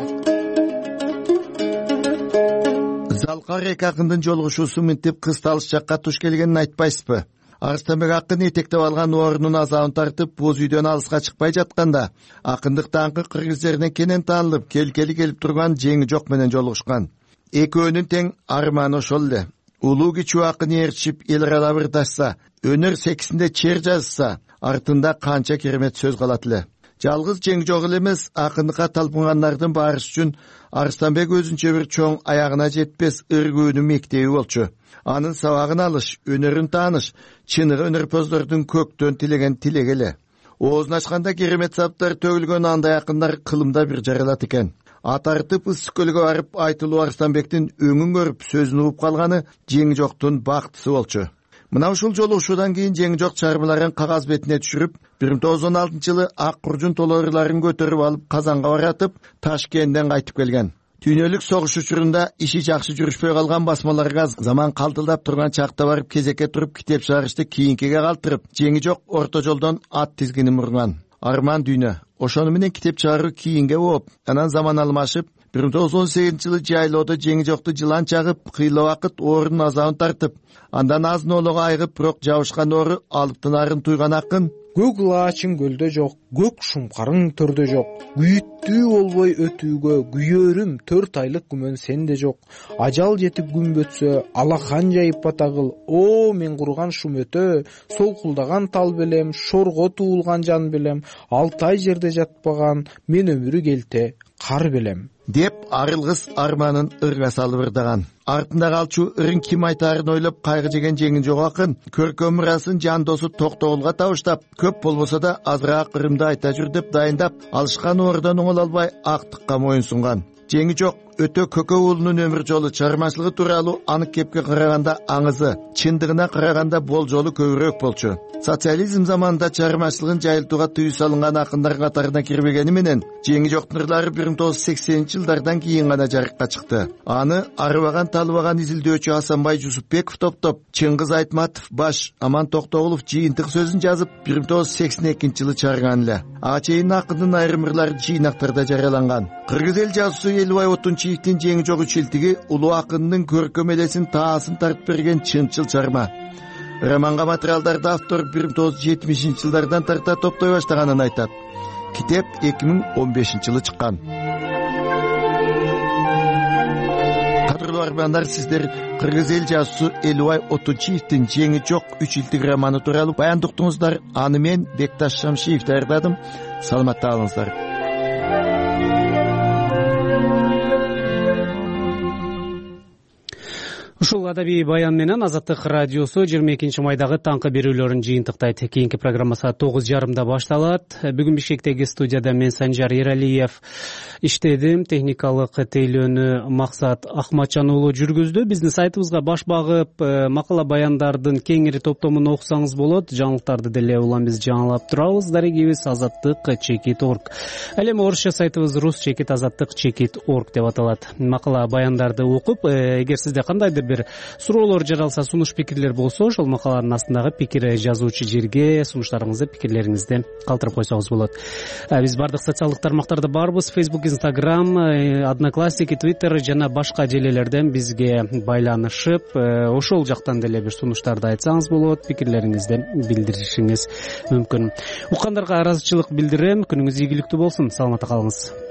Залкар эки акындын жолугушуусу мынтип кысталыш жакка туш келгенин айтпайсызбы? Арстанбек акын этектеп алган орунун азабын тартып, боз үйдөн алыска чыкпай жатканда, акындык даңкы кыргыз жерине кенен таанылып, келкели келип турган жеңи жок менен жолугушкан. Экөөнүн тең арманы ошол эле. Улуу кичүү акын ээрчип, эл аралап ырдашса, өнөр секисинде чер жазса, артында канча керемет сөз калат эле. Жалгыз жеңи жок эле эмес, акындыкка талпынгандардын баарысы үчүн Арстанбек өзүнчө бир чоң аягына жетпес ыргүүнүн мектеби болчу. Анын сабагын алыш, өнөрүн тааныш, чыныгы өнөрпоздордун көктөн тилеген тилеги эле. Оозун ачканда керемет саптар төгүлгөн андай акындар кылымда бир жаралат экен. Ат артып ысык көлгө барып Айтылуу Арстанбектин өңүн көрүп, сөзүн угуп калганы жеңи жоктун бактысы болчу. Мына ушул жолугушуудан кийин жеңи жок чыгармаларын кагаз бетине түшүрүп, 1916-жылы ак куржун толорларын көтөрүп алып Казанга баратып, Ташкенттен кайтып келген. Дүйнөлүк согуш учурунда иши жакшы жүрүшпөй калган басмаларга заман калтылдап турган чакта барып кезекке туруп китеп чыгарышты кийинкиге калтырып, жеңи жок орто жолдон ат тизгинин мурган. Арман дүйнө. Ошону менен китеп чыгаруу кийинге болуп, анан заман алмашып, 1918-жылы жайлоодо жеңи жокту жылан чагып, кыйла убакыт оорунун азабын тартып, андан азын оолого айыгып, бирок жабышкан оору алыптын арын туйган акын көк лаачың көлдө жок, көк шумкарың төрдө жок, күйүттүү болбой өтүүгө күйөрүм 4 айлык күмөн сенде жок. Ажал жетип күн бөтсө, алахан жайып батагыл, о мен курган шум өтө, солкулдаган тал белем, шорго туулган жан белем, 6 ай жерде жатпаган, мен өмүрү келте кар белем деп арылгыс арманын ырга салып ырдаган. Артында калчу ырын ким айтаарын ойлоп кайгы жеген жеңи жок акын көркөм мурасын жан досу Токтогулга табыштап, көп болбосо да азыраак ырымды айта жүр деп дайындап, алышкан оордон оңоло албай актыкка моюн сунган. Жеңи жок өтө көкө уулунун өмүр жолу, чыгармачылыгы тууралуу анык кепке караганда аңызы, чындыгына караганда болжолу көбүрөөк болчу. Социализм заманында чыгармачылыгын жайылтууга тыюу салынган акындар катарына кирбегени менен, жеңи жоктун ырлары 1980-жылдардан кийин гана жарыкка чыкты. Аны арыбаган талыбаган изилдөөчү Асанбай Жусупбеков топтоп, Чыңгыз Айтматов баш, Аман Токтогулов жыйынтык сөзүн жазып 1982-жылы чыгарган эле. Ага чейин акындын айрым ырлары жыйнактарда жарыяланган. Кыргыз эл жазуусу Элубай Отунчиевдин жеңи жок үчилтиги улуу акындын көркөм элесин таасын тартып берген чынчыл чарма. Романга материалдарды автор 1970-жылдардан тарта топтой баштаганын айтат. Китеп 2015-жылы чыккан. Кадырлуу армандар, сиздер кыргыз эл жазуусу Элубай Отунчиевдин жеңи жок үчилтиг романы тууралуу баяндыктыңыздар. Аны мен Бекташ Шамшиев даярдадым. Саламатта калыңыздар. Ушул адабий баян менен Азаттык радиосу 22 майдагы таңкы берүүлөрүн жыйынтыктайт. Кийинки программа саат 9:30 башталат. Бүгүн Бишкектеги студияда мен Санжар Эралиев иштедим. Техникалык тейлөөнү Максат Ахматжан уулу жүргүздү. Биздин сайтыбызга баш багып, макала баяндардын кеңири топтомун окусаңыз болот. Жаңылыктарды деле улам биз жаңылап турабыз. Дарегибиз azattik.org. Ал эми орусча сайтыбыз rus.azattik.org деп аталат. Макала баяндарды окуп, эгер сизде кандайдыр бир суроолор жаралса, сунуш пикирлер болсо, ошол макаланын астындагы пикир жазуучу жерге сунуштарыңызды, пикирлериңизди калтырып койсоңуз болот. Биз бардык социалдык тармактарда барбыз. Facebook, Instagram, Одноклассники, Twitter жана башка желелерден бизге байланышып, ошол жактан деле бир сунуштарды айтсаңыз болот, пикирлериңизди билдиришиңиз мүмкүн. Уккандарга ыраазычылык билдирем. Күнүңүз ийгиликтүү болсун. Саламатта калыңыз.